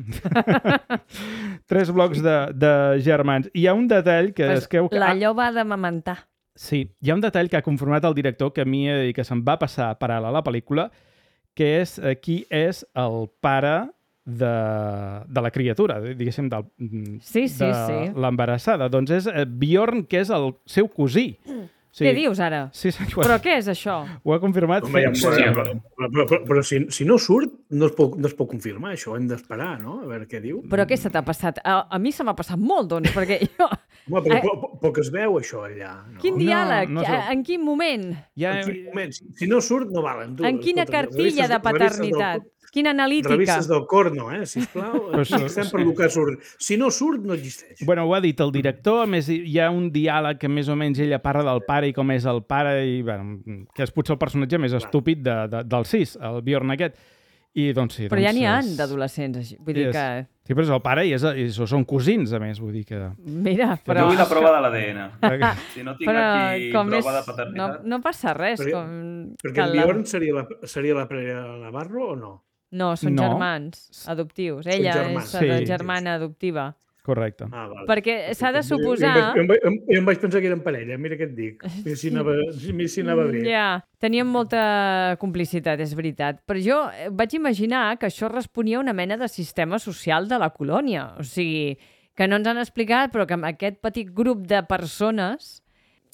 3 blocs de germans. I hi ha un detall que... Pues la lloba ha d'amamentar. Sí, hi ha un detall que ha conformat el director que a mi que se'm va passar paral·lel a la pel·lícula, que és qui és el pare de la criatura, diguéssim, Sí. l'embarassada. Doncs és Bjorn, que és el seu cosí. Sí. Què dius ara? Sí, Però què és això? Ho ha confirmat. Però si no surt, no es pot confirmar, això. Hem d'esperar, no? A veure què diu. Però què se t'ha passat? A mi se m'ha passat molt, doncs, perquè jo... Home, però que es veu, això, allà. No? Quin diàleg? En quin moment? En quin moment? Si no surt, no valen. En quina cartilla de paternitat? Quina analítica? Revistes del Corno, sisplau. Estem per el que surt. Si no surt, no existeix. Bueno, ho ha dit el director. A més, hi ha un diàleg que més o menys ella parla del pare i com és el pare, i bueno, que és potser el personatge més estúpid del 6, el Bjorn aquest. I, doncs, sí, però ja n'hi ha d'adolescents, així. Vull dir que... Sí, però és el pare i són cosins, a més, vull dir que... Mira, però... Jo vull la prova de l'ADN. Si no tinc aquí prova de paternitat... No passa res. Perquè el Bjorn seria la Pere Navarro o no? No, són germans adoptius. Ella és la germana adoptiva. Correcte. Perquè s'ha de suposar... Jo em vaig pensar que eren parella, mira què et dic. Si anava bé. Ja, tenien molta complicitat, és veritat. Però jo vaig imaginar que això responia a una mena de sistema social de la colònia. O sigui, que no ens han explicat, però que amb aquest petit grup de persones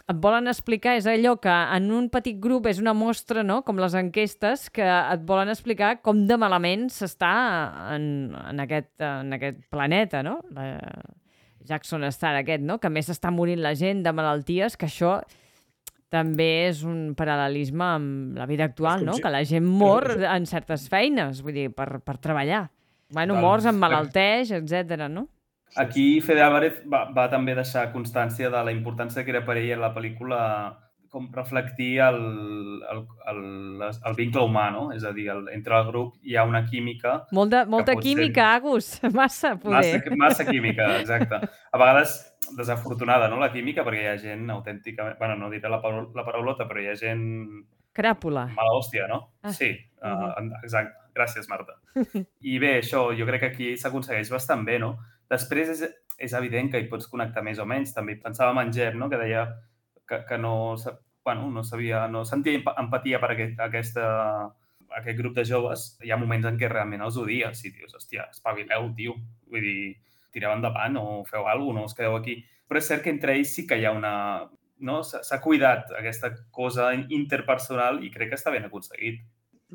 et volen explicar, és allò que en un petit grup és una mostra, no? Com les enquestes, que et volen explicar com de malament s'està en aquest planeta, no? Jackson Star aquest, no? Que més està morint la gent de malalties, que això també és un paral·lelisme amb la vida actual, no? Que la gent mor en certes feines, vull dir, per treballar. Bueno, morts, emmalalteix, etc., no? Aquí Fede Álvarez va també deixar constància de la importància que era per ella la pel·lícula com reflectir el vincle humà, no? És a dir, entre el grup hi ha una química... Molta química, Agus, massa poder. Massa química, exacte. A vegades desafortunada, no?, la química, perquè hi ha gent autènticament... Bueno, no diré la paraulota, però hi ha gent... Cràpula. Mala hòstia, no? Sí, exacte. Gràcies, Marta. I bé, això, jo crec que aquí s'aconsegueix bastant bé, no? Després és evident que hi pots connectar més o menys. També pensàvem en Jeb, no?, que deia que no sentia empatia per aquest grup de joves. Hi ha moments en què realment els odies i dius, hòstia, espavileu, tio. Vull dir, tireu endavant o feu alguna cosa, no us quedeu aquí. Però és cert que entre ells sí que hi ha una... No? S'ha cuidat aquesta cosa interpersonal i crec que està ben aconseguit.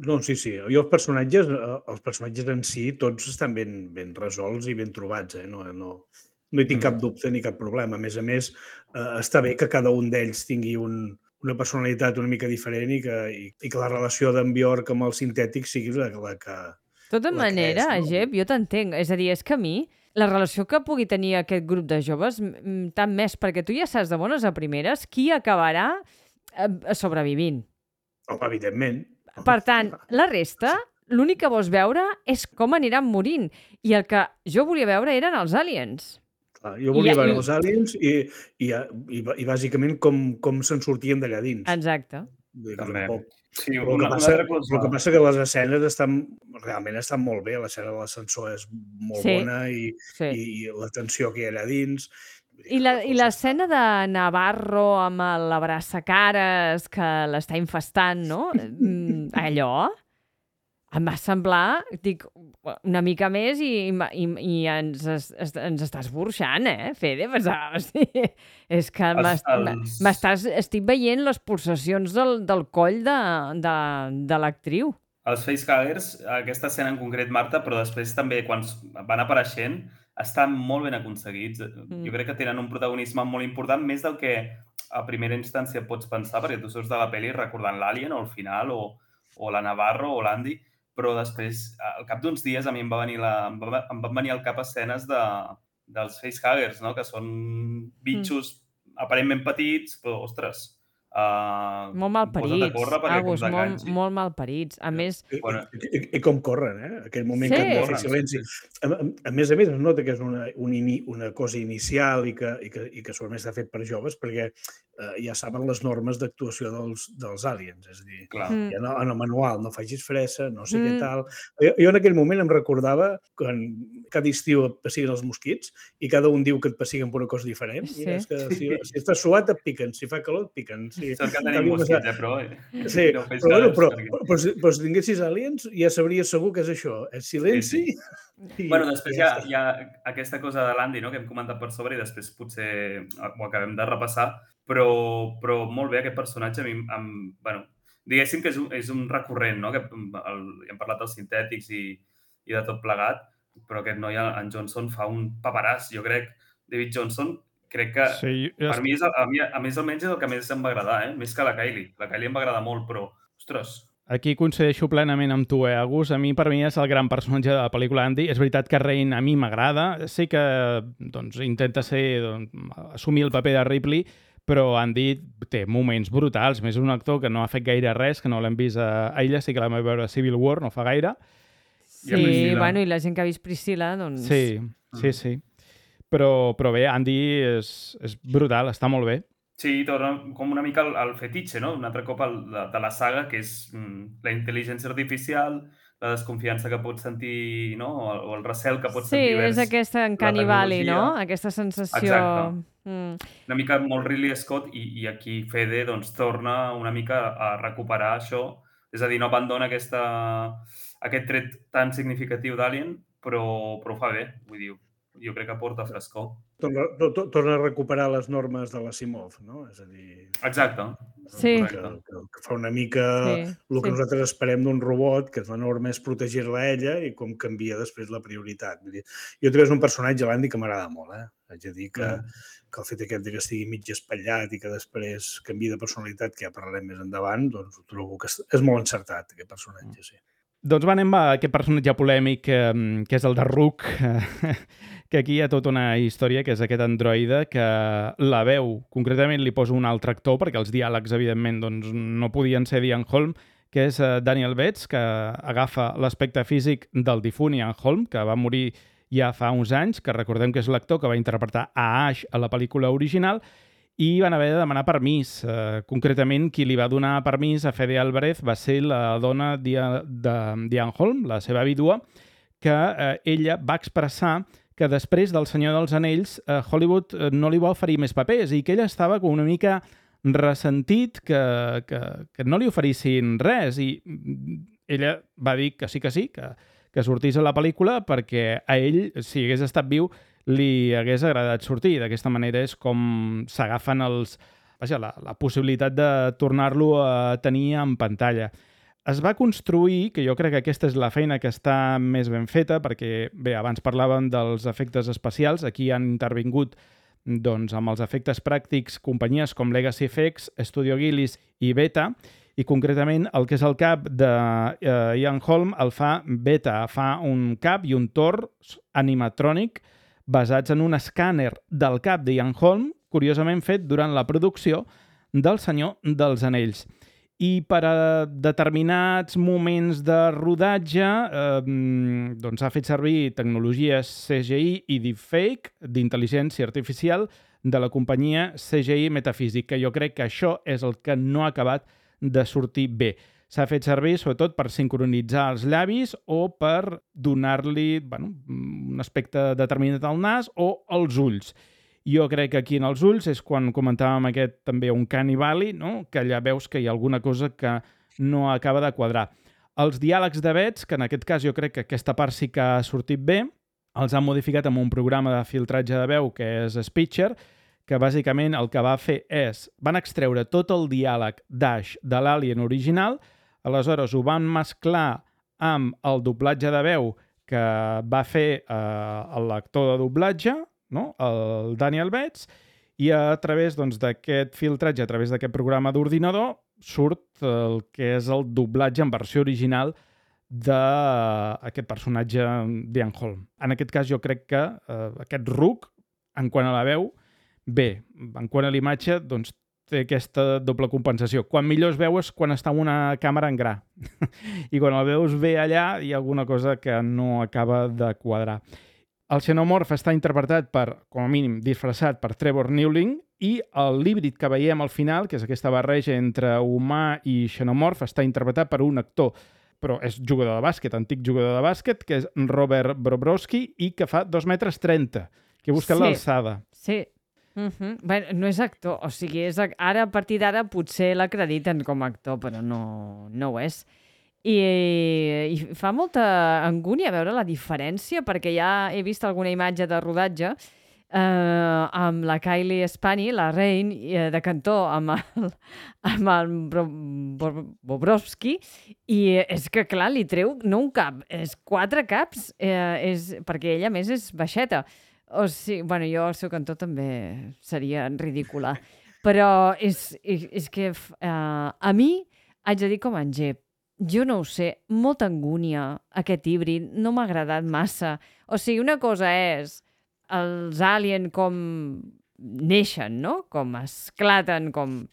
No, sí. I els personatges en si tots estan ben resolts i ben trobats, No hi tinc cap dubte ni cap problema. A més, està bé que cada un d'ells tingui una personalitat una mica diferent i que la relació d'en Bjork amb el sintètic sigui la que... De tota manera, Jep, jo t'entenc. És a dir, és que a mi la relació que pugui tenir aquest grup de joves, tant més, perquè tu ja saps de bones a primeres qui acabarà sobrevivint. Home, evidentment. Per tant, la resta, l'únic que vols veure és com aniran morint. I el que jo volia veure eren els aliens. Jo volia veure els aliens i bàsicament com se'n sortien d'allà dins. Exacte. També. Sí, el que passa que les escenes realment estan molt bé. L'escena de l'ascensor és molt bona i la tensió que hi ha allà dins... I l'escena de Navarro amb l'abraçacares que l'està infestant, no? Allò em va semblar, dic, una mica més i ens estàs burxant, Fede? És que estic veient les pulsacions del coll de l'actriu. Els facehuggers, aquesta escena en concret, Marta, però després també quan van apareixent, estan molt ben aconseguits. Jo crec que tenen un protagonisme molt important, més del que a primera instància pots pensar, perquè tu surts de la pel·li recordant l'Alien o el final, o la Navarro o l'Andy, però després, al cap d'uns dies, a mi em van venir al cap escenes dels facehuggers, no?, que són bitxos aparentment petits, però, ostres... molt malparits, Agus, molt malparits. A més... I com corren, aquell moment que han de fer silenci. A més, es nota que és una cosa inicial i que segurament està fet per joves, perquè ja saben les normes d'actuació dels aliens. És a dir, en el manual no facis fressa, no sé què tal. Jo en aquell moment em recordava que cada estiu et pessiguen els mosquits i cada un diu que et pessiguen per una cosa diferent. Mira, és que si estàs suat et piquen, si fa calor et piquen. Sort que tenim mosquits, però... Sí, però si tinguessis aliens ja sabries segur que és això. És silenci Bueno, després hi ha aquesta cosa de l'Andy, no?, que hem comentat per sobre i després potser ho acabem de repassar, però molt bé aquest personatge. A mi, bueno, diguéssim que és un recurrent, no?, que hem parlat dels sintètics i de tot plegat, però aquest noi, en Johnson, fa un paperàs, jo crec. David Johnson, crec que per mi, a més almenys, és el que més em va agradar, més que la Kylie. La Kylie em va agradar molt, però, ostres... Aquí coincideixo plenament amb tu, Agus. Per mi és el gran personatge de la pel·lícula Andy. És veritat que Rain a mi m'agrada. Sé que intenta assumir el paper de Ripley, però Andy té moments brutals. Més un actor que no ha fet gaire res, que no l'hem vist a ella, sí que l'hem vist veure a Civil War, no fa gaire. Sí, bueno, i la gent que ha vist Priscilla, doncs... Sí. Però bé, Andy és brutal, està molt bé. Sí, torna com una mica al fetitxe, no? Un altre cop de la saga, que és la intel·ligència artificial, la desconfiança que pots sentir, no? O el recel que pots sentir vers és aquesta Uncanny Valley, no? Aquesta sensació... Exacte. Una mica molt Ridley Scott, i aquí Fede doncs, torna una mica a recuperar això. És a dir, no abandona aquest tret tan significatiu d'Alien, però ho fa bé. Vull dir, jo crec que porta frescor. Torna a recuperar les normes de l'Asimov, no? És a dir... Exacte. Sí. Que fa una mica el que nosaltres esperem d'un robot, que la norma és protegir-la a ella i com canvia després la prioritat. Jo trobo que és un personatge, l'Andy, que m'agrada molt. Haig de dir que el fet aquest que estigui mig espatllat i que després canvi de personalitat, que ja parlarem més endavant, doncs ho trobo que és molt encertat, aquest personatge, sí. Doncs anem a aquest personatge polèmic que és el de Rook, que aquí hi ha tota una història, que és aquest androide que la veu, concretament li poso un altre actor, perquè els diàlegs, evidentment, doncs, no podien ser d'Ian Holm, que és Daniel Betts, que agafa l'aspecte físic del difunt Ian Holm, que va morir ja fa uns anys, que recordem que és l'actor que va interpretar a Ash a la pel·lícula original, i van haver de demanar permís. Concretament, qui li va donar permís a Fede Álvarez va ser la dona d'Ian Holm, la seva vídua, que ella va expressar que després del Senyor dels Anells Hollywood no li va oferir més papers i que ella estava com una mica ressentit que no li oferissin res, i ella va dir que sí, que sortís a la pel·lícula perquè a ell, si hagués estat viu, li hagués agradat sortir. D'aquesta manera és com s'agafen la possibilitat de tornar-lo a tenir en pantalla. Es va construir, que jo crec que aquesta és la feina que està més ben feta, perquè, bé, abans parlàvem dels efectes especials, aquí han intervingut doncs, amb els efectes pràctics companyies com Legacy FX, Studio Ghibli i Beta, i concretament el que és el cap de Ian Holm el fa Beta, fa un cap i un tors animatrònic basats en un escàner del cap d'Ian Holm, curiosament fet durant la producció del Senyor dels Anells. I per a determinats moments de rodatge doncs ha fet servir tecnologies CGI i deepfake d'intel·ligència artificial de la companyia CGI Metaphysics, que jo crec que això és el que no ha acabat de sortir bé. S'ha fet servir sobretot per sincronitzar els llavis o per donar-li un aspecte determinat al nas o als ulls. Jo crec que aquí en els ulls és quan comentàvem també Uncanny Valley, no? Que allà veus que hi ha alguna cosa que no acaba de quadrar. Els diàlegs de Betts, que en aquest cas jo crec que aquesta part sí que ha sortit bé, els han modificat amb un programa de filtratge de veu que és Speecher, que bàsicament el que va fer van extreure tot el diàleg d'Ash de l'Alien original, aleshores ho van mesclar amb el doblatge de veu que va fer l'actor de doblatge, no? El Daniel Betts, i a través d'aquest filtratge, a través d'aquest programa d'ordinador, surt el que és el doblatge en versió original d'aquest personatge d'Ian Holm. En aquest cas jo crec que aquest Rook, en quant a la veu, bé, en quant a l'imatge, doncs té aquesta doble compensació. Quan millor es veu és quan està en una càmera en gra. I quan el veus bé allà hi ha alguna cosa que no acaba de quadrar. El xenomorf està interpretat com a mínim, disfressat per Trevor Newling, i l'híbrid que veiem al final, que és aquesta barreja entre humà i xenomorf, està interpretat per un actor, però és jugador de bàsquet, antic jugador de bàsquet, que és Robert Bobrovsky, i que fa 2,30 metres, que busca l'alçada. Sí. Bé, no és actor, o sigui, ara a partir d'ara potser l'acrediten com a actor, però no ho és. I fa molta angúnia veure la diferència, perquè ja he vist alguna imatge de rodatge amb la Kylie Spani, la Rain, de cantó amb el Bobrovsky, i és que, clar, li treu no un cap, és 4 caps, perquè ella, a més, és baixeta. O sigui, bueno, jo al seu cantó també seria ridícula. Però és que a mi haig de dir com en Gep. Jo no ho sé, molta angúnia, aquest híbrid, no m'ha agradat massa. O sigui, una cosa és els aliens com neixen, no? Com esclaten, com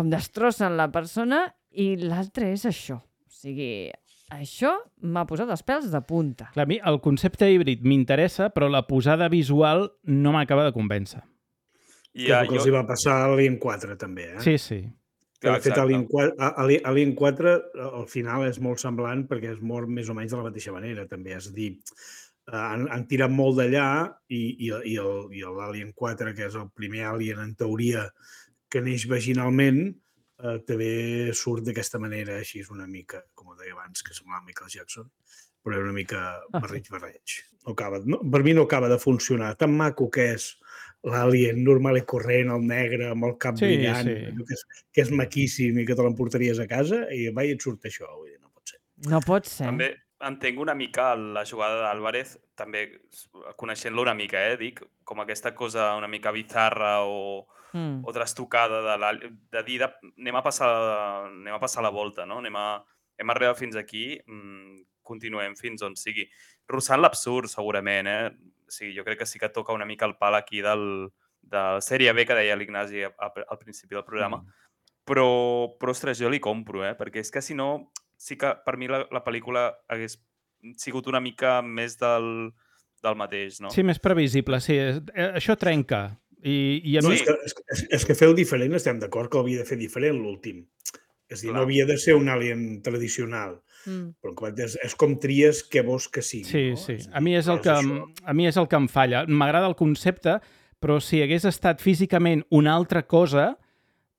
destrossen la persona, i l'altre és això. O sigui, això m'ha posat els pèls de punta. Clar, a mi el concepte híbrid m'interessa, però la posada visual no m'acaba de convèncer. Que és el que els hi va passar a l'Alien 4, també, eh? Sí, sí. De fet, Alien 4 al final és molt semblant perquè es mor més o menys de la mateixa manera, també. És a dir, han tirat molt d'allà i l'Alien 4, que és el primer Alien, en teoria, que neix vaginalment, també surt d'aquesta manera, així és una mica, com ho deia abans, que semblava Michael Jackson, però és una mica barreig. Per mi no acaba de funcionar. Tan maco que és l'Alien normal i corrent, el negre, amb el cap brillant, que és maquíssim i que te l'emportaries a casa, i va, i et surt això. No pot ser. No pot ser. També entenc una mica la jugada d'Álvarez, també coneixent-lo una mica, dic, com aquesta cosa una mica bizarra o trastocada de dir anem a passar la volta, no? Hem arribat fins aquí, continuem fins on sigui. Rossant l'absurd, segurament, O sigui, jo crec que sí que toca una mica el pal aquí de sèrie B, que deia l'Ignasi al principi del programa, però, ostres, jo li compro, perquè és que si no, sí que per mi la pel·lícula hagués sigut una mica més del mateix, no? Sí, més previsible, sí. Això trenca. No, és que fer-ho diferent, estem d'acord que ho havia de fer diferent l'últim. És a dir, no havia de ser un Alien tradicional. Però és com tries què vols que sigui. Sí. A mi és el que em falla. M'agrada el concepte, però si hagués estat físicament una altra cosa,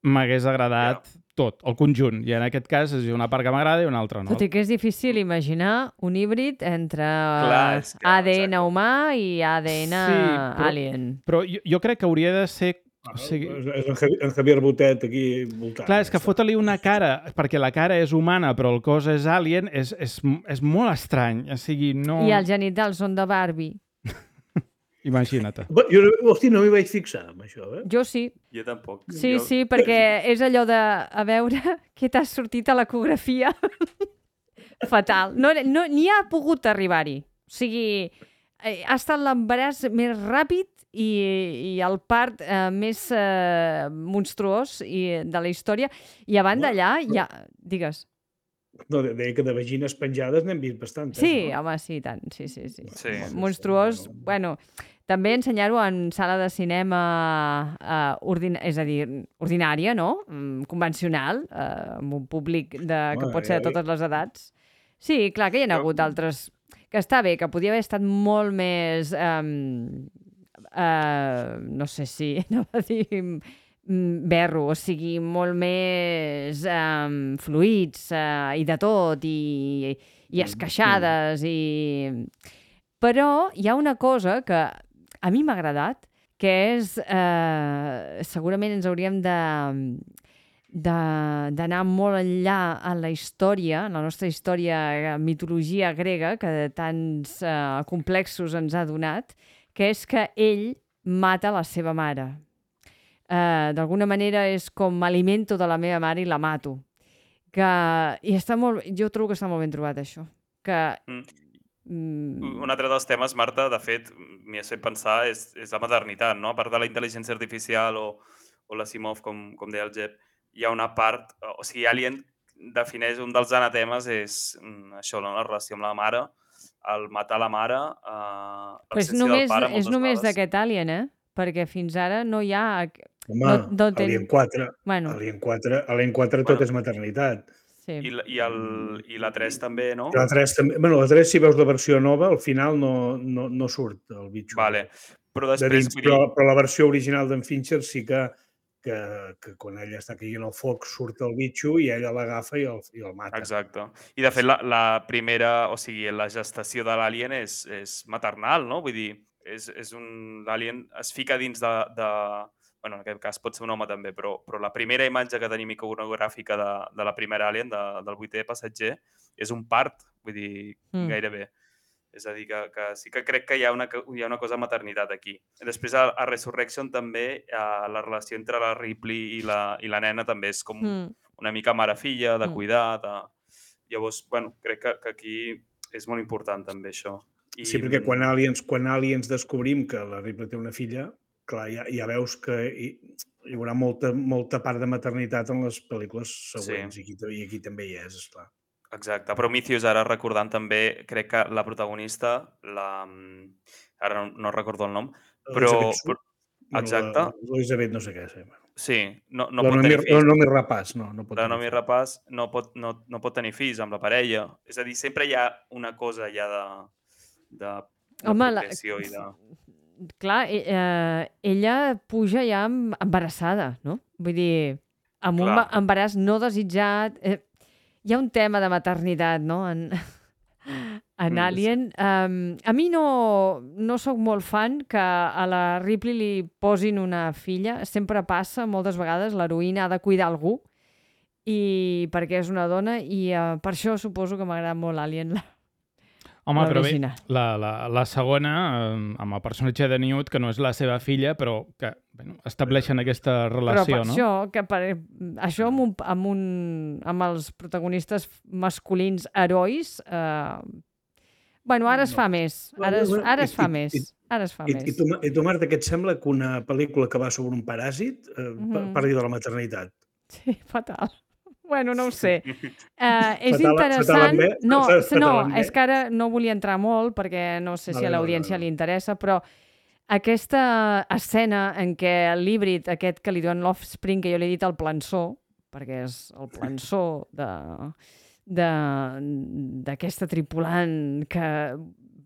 m'hagués agradat tot, el conjunt. I en aquest cas és una part que m'agrada i una altra no. Tot i que és difícil imaginar un híbrid entre ADN humà i ADN alien. Però jo crec que hauria de ser... És en Javier Botet aquí voltant. Clar, és que fota-li una cara, perquè la cara és humana però el cos és alien, és molt estrany. O sigui, no... I els genitals són de Barbie. Imagina't. Hosti, no m'hi vaig fixar amb això, Jo sí. Jo tampoc. Sí, perquè és allò de, a veure, què t'ha sortit a l'ecografia? Fatal. Ni ha pogut arribar-hi. O sigui, ha estat l'embaràs més ràpid i el part més monstruós de la història. I abans d'allà, digues. No, deia que de vagines penjades n'hem vist bastant. Sí, home, sí, tant. Sí. Monstruós, bueno, també ensenyar-ho en sala de cinema és a dir, ordinària, no? Convencional, amb un públic que pot ser de totes les edats. Sí, clar que hi ha hagut altres... Que està bé, que podia haver estat molt més... no sé si... anava a dir... berro, o sigui, molt més fluids i de tot, i esqueixades, Però hi ha una cosa que a mi m'ha agradat, que és... segurament ens hauríem d'anar molt enllà en la història, en la nostra història, mitologia grega, que tants complexos ens ha donat, que és que ell mata la seva mare. D'alguna manera és com m'alimento de la meva mare i la mato. Jo trobo que està molt ben trobat, això. Un altre dels temes, Marta, de fet, m'hi has fet pensar, és la maternitat, no? A part de la intel·ligència artificial o l'Asimov, com deia el Jep, hi ha una part... O sigui, Alien defineix un dels anatemes és això, la relació amb la mare, el matar la mare, l'absència del pare moltes vegades. És només d'aquest Alien, perquè fins ara no hi ha... Home, Alien 4, Alien 4 tot és maternitat. Sí. I la 3 també, no? La 3 també. Bueno, la 3, si veus la versió nova, al final no surt el bitxo. Vale. Però després... Però la versió original d'en Fincher sí que que quan ella està caient al foc surt el bitxo i ella l'agafa i el mata. Exacte. I, de fet, la primera... O sigui, la gestació de l'alien és maternal, no? Vull dir, l'alien es fica dins de... Bueno, en aquest cas pot ser un home també, però la primera imatge que tenim iconogràfica de la primera alien, del 8è passatger, és un part, vull dir, gairebé. És a dir, que sí que crec que hi ha una cosa de maternitat aquí. Després, a Resurrection també, la relació entre la Ripley i la nena també és com una mica mare-filla, de cuidar. Llavors, bueno, crec que aquí és molt important també això. Sí, perquè quan Aliens descobrim que la Ripley té una filla, clar, ja veus que hi haurà molta part de maternitat en les pel·lícules següents, i aquí també hi és, esclar. Exacte. Prometheus, ara recordant també, crec que la protagonista, ara no recordo el nom, però... Exacte. Elisabet no sé què. Sí, no pot tenir fills. La Noomi Rapace, no pot tenir fills. La Noomi Rapace no pot tenir fills amb la parella. És a dir, sempre hi ha una cosa ja de procreació i de... Clar, ella puja ja embarassada, no? Vull dir, amb un embaràs no desitjat... Hi ha un tema de maternitat, no?, en Alien. A mi no sóc molt fan que a la Ripley li posin una filla. Sempre passa, moltes vegades, l'heroïna ha de cuidar algú, i perquè és una dona, i per això suposo que m'agrada molt Alien. Home, però bé, la segona, amb el personatge de Newt, que no és la seva filla, però que estableixen aquesta relació, no? Però per això, amb els protagonistes masculins herois, bueno, ara es fa més. Ara es fa més. I tu, Marta, què et sembla que una pel·lícula que va sobre un paràsit parli de la maternitat? Sí, fatal. Bueno, no ho sé. És interessant... No, és que ara no volia entrar molt perquè no sé si a l'audiència li interessa, però aquesta escena en què l'híbrid aquest que li diuen l'Offspring, que jo li he dit el plançó, perquè és el plançó d'aquesta tripulant, que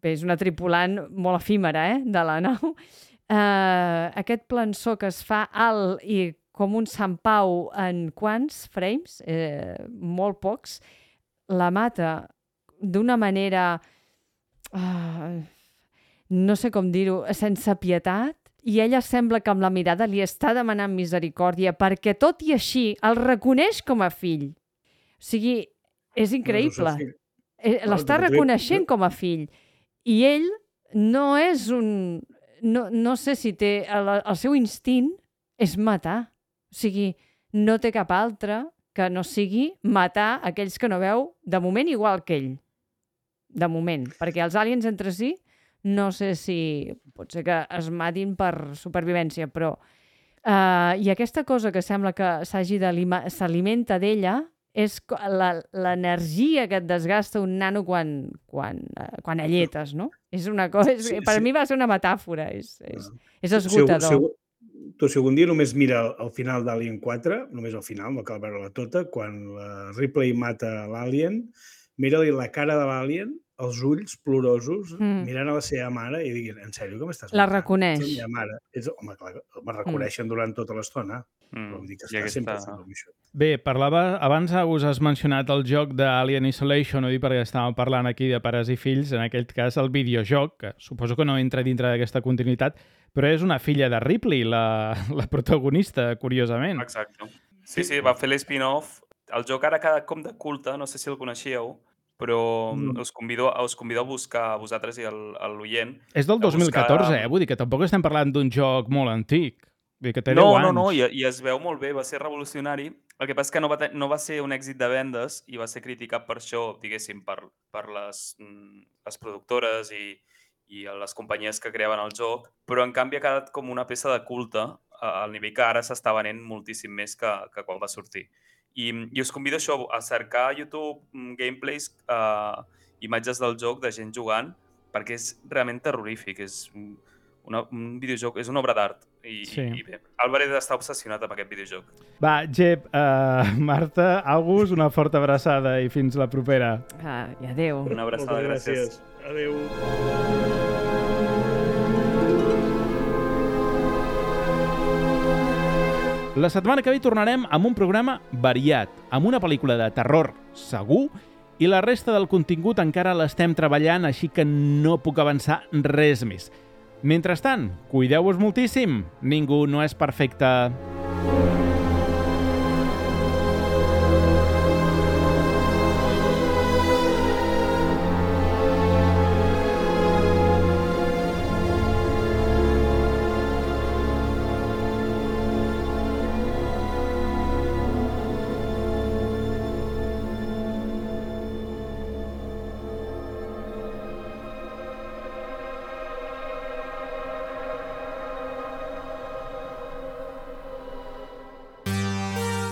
és una tripulant molt efímera, de la nau, aquest plançó que es fa alt i com un Sant Pau en quants frames, molt pocs, la mata d'una manera, no sé com dir-ho, sense pietat, i ella sembla que amb la mirada li està demanant misericòrdia perquè tot i així el reconeix com a fill. O sigui, és increïble. L'està reconeixent com a fill. I ell no és un... No sé si té... El seu instint és matar. O sigui, no té cap altre que no sigui matar aquells que no veu, de moment, igual que ell. De moment. Perquè els aliens entre si, no sé si pot ser que es matin per supervivència, però... I aquesta cosa que sembla que s'alimenta d'ella és l'energia que et desgasta un nano quan alletes, no? És una cosa... Per mi va ser una metàfora. És esgotador. Si algun dia només mira el final d'Alien 4, només al final, no cal veure-la tota, quan la Ripley mata l'Alien, mira-li la cara de l'Alien, els ulls plorosos, mirant a la seva mare i diguin, en sèrio, que m'estàs matant? La reconeix. Home, clar, me reconeixen durant tota l'estona. Però vull dir que està sempre fent això. Bé, abans has mencionat el joc d'Alien Isolation, ho dic perquè estàvem parlant aquí de pares i fills, en aquest cas el videojoc, que suposo que no entra dintre d'aquesta continuïtat, però és una filla de Ripley, la protagonista, curiosament. Exacte. Sí, va fer l'spin-off. El joc ara ha quedat com de culte, no sé si el coneixíeu, però us convido a buscar, a vosaltres i a l'oient. És del 2014, vull dir que tampoc estem parlant d'un joc molt antic. Que té 10 anys. No, i es veu molt bé, va ser revolucionari. El que passa és que no va ser un èxit de vendes i va ser criticat per això, diguéssim, per les productores i les companyies que creaven el joc, però en canvi ha quedat com una peça de culte al nivell que ara s'està venent moltíssim més que quan va sortir. I us convido a cercar a YouTube gameplays, imatges del joc de gent jugant, perquè és realment terrorífic, és un videojoc, és una obra d'art. I bé, Álvarez està obsessionat amb aquest videojoc. Va, Jep, Marta, August, una forta abraçada i fins la propera. I adéu. Una abraçada, gràcies. Adéu. La setmana que ve tornarem amb un programa variat, amb una pel·lícula de terror segur, i la resta del contingut encara l'estem treballant, així que no puc avançar res més. Mentrestant, cuideu-vos moltíssim, ningú no és perfecte.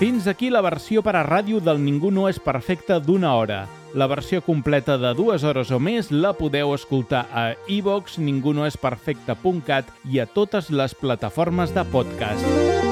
Fins aquí la versió per a ràdio del Ningú no és perfecte d'1 hora. La versió completa de 2 hores o més la podeu escoltar a iVoox, ningunoesperfecte.cat i a totes les plataformes de podcast.